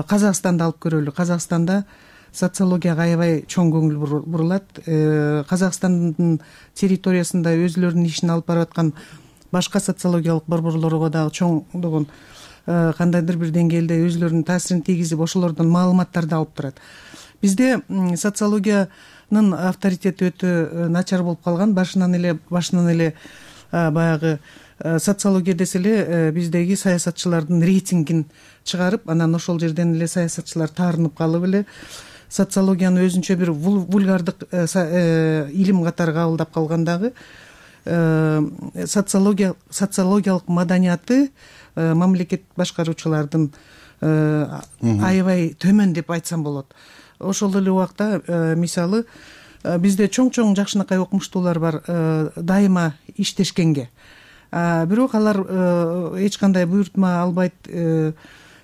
Казакстанды алып көрөлү. Казакстанда социологияга аябай чоң көңүл бурулат. Казакстандын территориясында өзүлөрүнүн ишин алып барып аткан башка социологиялык борборлорго дагы чоңдогон кандайдыр бир деңгээлде өзүлөрүнүн таасирин тийгизип, ошолордон маалыматтарды алып турат. Бизде социологиянын авторитети өтө начар болуп калган. Башынан эле баягы социология десе эле биздеги саясатчылардын рейтингин чыгарып, анан ошол жерден эле саясатчылар таарынып калып эле социологияны өзүнчө бир вульгардык илим катары кабылдап калган дагы. Социологиялык маданияты мамлекет башкаруучулардын аябай төмөн деп айтсам болот. Ошол эле убакта мисалы бизде чоң жакшынакай окумуштуулар бар, дайыма иштешкенге. Бирок алар эч кандай буйртма албайт.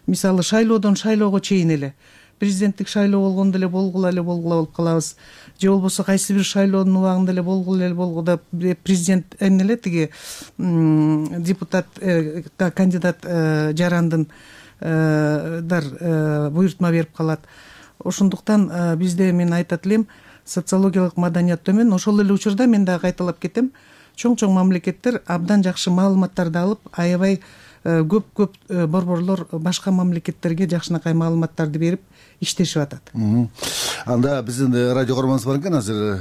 Мисалы шайлоодон шайлоого чейин эле президенттик шайлоо болгондо эле болгула болуп калабыз. Же болбосо кайсы бир шайлоонун убагында эле болгула деп президент эмне тиги депутат, кандидат жарандын буйртма берип калат. Ошондуктан бизде мен айтат элем, социологиялык маданият төмөн. Ошол эле учурда мен дагы кайталап кетем, чоң мамлекеттер абдан жакшы маалыматтарды алып, аябай көп борборлор башка мамлекеттерге жакшынакай маалыматтарды берип иштешип атат. Анда биздин радио көрөрманыбыз бар экен, азыр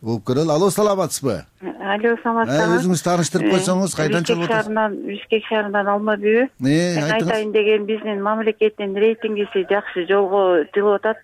болуп көрөлү. Алло, саламатсызбы? Алло, саламатсызбы? Өзүңүз тааныштырып койсоңуз, кайдан чыгып атасыз? Бишкек шаарынан Алмабүй. Айтайын деген, биздин мамлекеттин рейтингиси жакшы жолго жылып атат.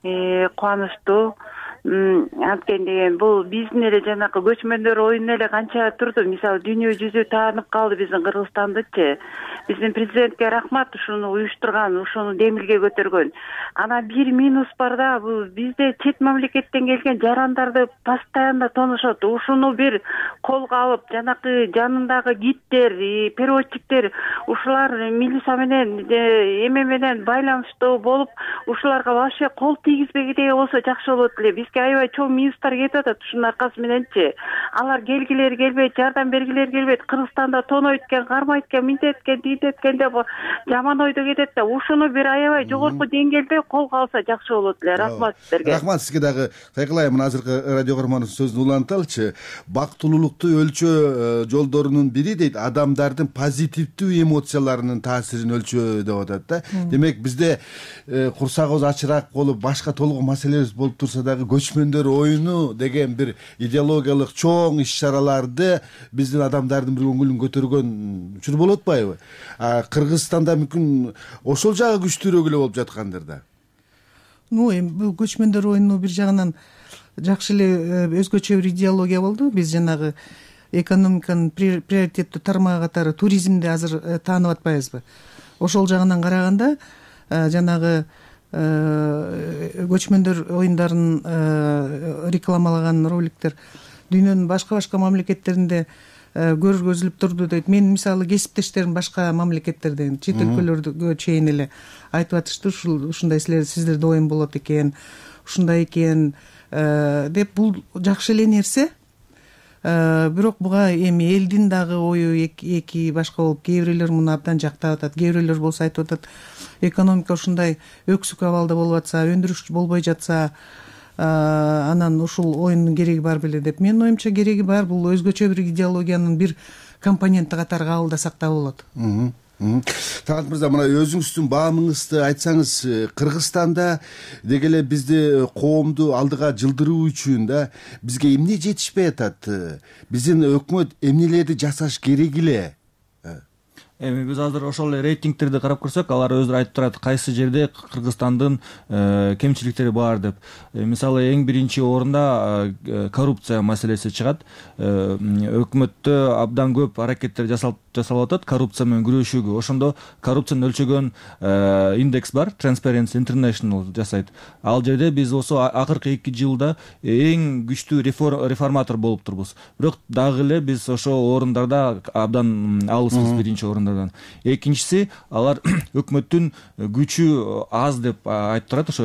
Кубанычтуу. Анткени бул биздин эле жанакы көчмөндөр оюну эле канча турду. Мисалы дүйнө жүзү таанып калды биздин Кыргызстандычы. Биздин президентке рахмат ушуну уюштурган, ушуну демилге көтөргөн. Анан бир минус бар да, бул бизде чет мамлекеттен келген жарандарды постоянно тонушот. Ушуну бир колго алып, жанакы жанындагы гидтер, переводчиктер, ушулар милиция менен эме менен байланыштуу болуп, ушуларга вообще кол тийгизбегидей болсо жакшы болот эле. Бизге аябай чоң минустар кетип атат ушунун аркасы мененчи. Алар келгилери келбейт, жардам бергилери келбейт. Кыргызстанда тонойт экен, кармайт экен, минтет экен, тинтет экен деп жаман ойдо кетет да. Ушуну бир аябай жогорку деңгээлде колго алса жакшы болот эле. Рахмат сиздерге. Рахмат сизге дагы. Сайкалайм, азыркы радио каармандын сөзүн уланталычы. Бактылуулукту өлчөө жолдорунун бири дейт, адамдардын позитивдүү эмоцияларынын таасирин өлчөө деп атат да. Демек бизде курсагыбыз ачыраак болуп, башка толугу маселебиз болуп турса дагы көчмөндөр оюну деген бир идеологиялык чоң иш-чараларды биздин адамдардын бир көңүлүн көтөргөн учур болуп атпайбы? Кыргызстанда мүмкүн ошол жагы күчтүүрөөк эле болуп жаткандыр да. Эми бул көчмөндөр оюну бир жагынан жакшы эле өзгөчө бир идеология болду. Биз жанагы экономиканын приоритеттүү тармагы катары туризмди азыр таанып атпайбызбы? Ошол жагынан караганда жанагы көчмөндөр оюндарын рекламалаган роликтер дүйнөнүн башка мамлекеттеринде көргөзүлүп турду дейт. Мен мисалы кесиптештерим башка мамлекеттерден, чет өлкөлөргө чейин эле айтып атышты, ушундай сиздерде оюн болот экен, ушундай экен деп. Бул жакшы эле нерсе. Бирок буга эми элдин дагы ою эки башка болуп, кээ бирлер муну абдан жактап атат, кээ бирлер болсо айтып атат, экономика ушундай өксүк абалда болуп атса, өндүрүш болбой жатса, анан ушул оюндун кереги бар беле деп. Менин оюмча кереги бар. Бул өзгөчө бир идеологиянын бир компоненти катары кабылдасак да болот. Талант мырза, мына өзүңүздүн баамыңызды айтсаңыз, Кыргызстанда деги эле бизди коомду алдыга жылдыруу үчүн да бизге эмне жетишпей атат? Биздин өкмөт эмнелерди жасаш керек эле? Эми биз азыр ошол эле рейтингтерди карап көрсөк, алар өздөрү айтып турат кайсы жерде Кыргызстандын кемчиликтери бар деп. Мисалы эң биринчи орунда коррупция маселеси чыгат. Өкмөттө абдан көп аракеттер жасалып атат коррупция менен күрөшүүгө. Ошондо коррупцияны өлчөгөн индекс бар, Transparency International жасайт. Ал жерде биз осо акыркы 2 жылда эң күчтүү реформатор болуп турбуз. Бирок дагы эле биз ошо орундарда абдан алыспыз биринчи орундардан. Экинчиси, алар өкмөттүн күчү аз деп айтып турат ошо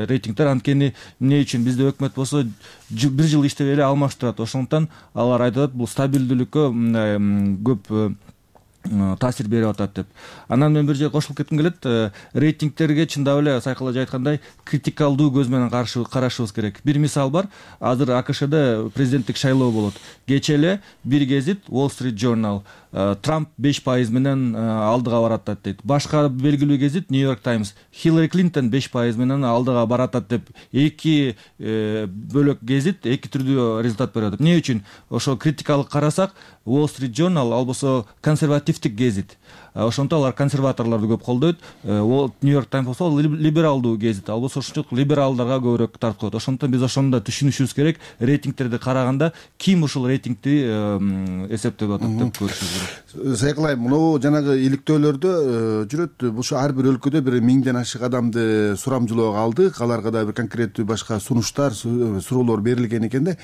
рейтингдер. Анткени эмне үчүн бизде өкмөт болсо бир жыл иштеп эле алмаштырат. Ошондуктан алар айтып атат, бул стабилдүүлүккө көп таасир берип атат деп. Анан мен бир жер кошулуп кетким келет. Рейтингтерге чындап эле Сайкалажы айткандай критикалдуу көз менен карашыбыз керек. Бир мисал бар. Азыр АКШда президенттик шайлоо болот. Кечээ эле бир гезит Wall Street Journal Трамп 5% менен алдыга баратат дейт. Башка белгилүү гезит New York Times Хиллари Клинтон 5% менен алдыга баратат деп. Эки бөлөк гезит эки түрдүү результат берип атат. Эмне үчүн? Ошо критикалык карасак, Wall Street Journal ал болсо консервативдик гезит. Ошондо алар консерваторлорду көп колдойт. New York Times болсо либералдуу гезит. Ал болсо ошончолук либералдарга көбүрөөк тартып коет. Ошондуктан биз ошону да түшүнүшүбүз керек. Рейтингтерди караганда ким ушул рейтингди эсептеп атат деп көрүшүбүз керек. Сайкалайм, мына жанагы иликтөөлөрдө жүрөт. Бушу ар бир өлкөдө бир 1000ден ашык адамды сурамжылоого алдык. Аларга да бир конкреттүү башка сунуштар, суроолор берилген экен да.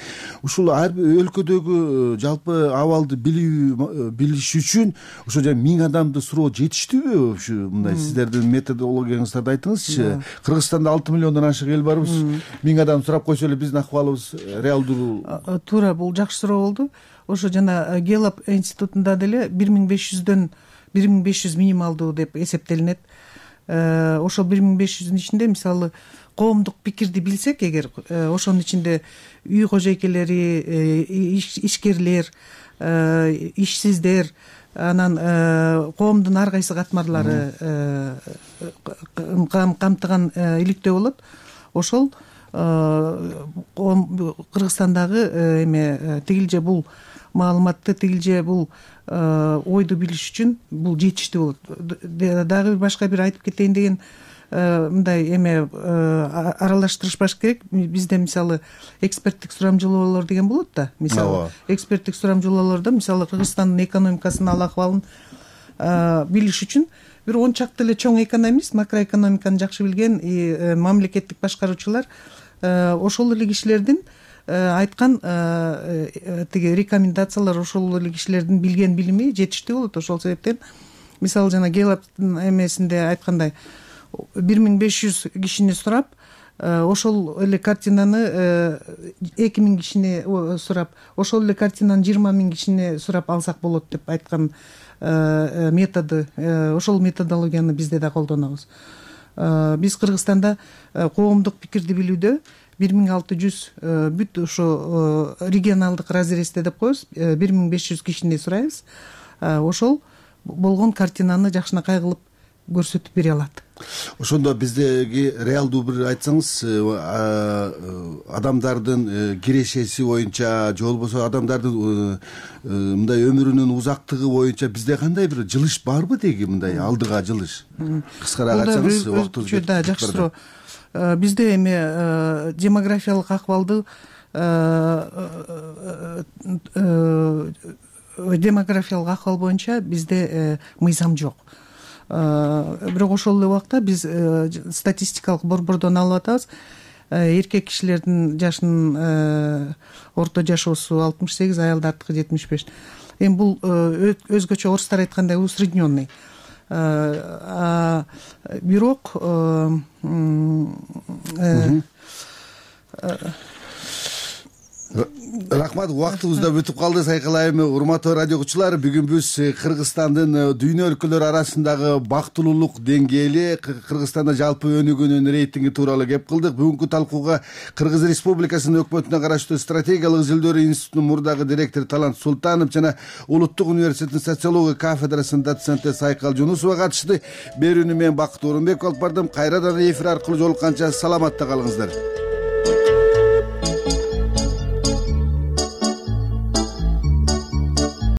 Ушул ар бир өлкөдөгү жалпы абалды билиш үчүн ошо 1000 адамды суроо жетиштүүбү? Ушу мындай сиздердин методологияңыздарды айтыңызчы. Кыргызстанда 6 миллиондон ашык ел барбыз. 1000 адам сурап койсо эле биздин акыбалыбыз реалдуу. Туура, бул жакшы суроо болду. Ошо жана Гелап институтунда деле 1500 минималдуу деп эсептелинет. Ошол 1500-дүн ичинде мисалы коомдук пикирди билсек эгер, ошонун ичинде үй кожойкелери, ишкерлер, ишсиздер, анан коомдун ар кайсы катмарлары камтыган иликтөө болот. Ошол Кыргызстандагы эме тигилже бул маалыматты, тигилже бул ойду билиш үчүн бул жетиштүү болот. Дагы башка бир айтып кетейин деген мындай эме аралаштырышпаш керек. Бизде мисалы эксперттик сурамжылоолор деген болот да. Мисалы эксперттик сурамжылоолордо мисалы Кыргызстандын экономикасынын ал акыбалын билиш үчүн бир 10 чакты эле чоң экономист, макроэкономиканы жакшы билген мамлекеттик башкаруучулар ошол эле кишилердин айткан тиги рекомендациялар, ошол эле кишилердин билген билими жетиштүү болот. Ошол себептен мисалы жана Геллаптын эмесинде айткандай 1500 кишини сурап, ошол эле картинаны 2000 кишини сурап, ошол эле картинаны 20 000 кишини сурап алсак болот деп айткан методу, ошол методологияны бизде да колдонобуз. Биз Кыргызстанда коомдук пикирди билүүдө 1600 бүт ошо регионалдык разрезде деп коебуз, 1500 кишини сурайбыз. Ошол болгон картинаны жакшынакай кылып көрсөтүп бере алат. Ошондо биздеги реалдуу бир айтсаңыз, адамдардын кирешеси боюнча же болбосо адамдардын мындай өмүрүнүн узактыгы боюнча бизде кандай бир жылыш барбы деги, мындай алдыга жылыш? Кыскараак айтсаңыз, убактыбыз да жакшыроо. Бизде эми демографиялык акыбалды демографиялык акыбал боюнча бизде мыйзам жок. Бирок ошол эле убакта биз статистикалык борбордон алып атабыз. Эркек кишилердин жашынын орто жашоосу 68, аялдардыкы 75. Эми бул өзгөчө орустар айткандай усредненный. Бирок рахмат, убактыбыз да бүтүп калды. Сайкалайым урматтуу радио угуучулар, бүгүн биз Кыргызстандын дүйнө өлкөлөрү арасындагы бактылуулук деңгээли, Кыргызстанда жалпы өнүгүүнүн рейтинги тууралуу кеп кылдык. Бүгүнкү талкууга Кыргыз Республикасынын өкмөтүнө караштуу стратегиялык изилдөөлөр институтунун мурдагы директору Талант Султанов жана Улуттук университеттин социология кафедрасынын доценти Сайкал Жунусова катышты. Берүүнү мен Бакыт Орунбеков алып бардым. Кайрадан эфир аркылуу жолукканча саламатта калыңыздар.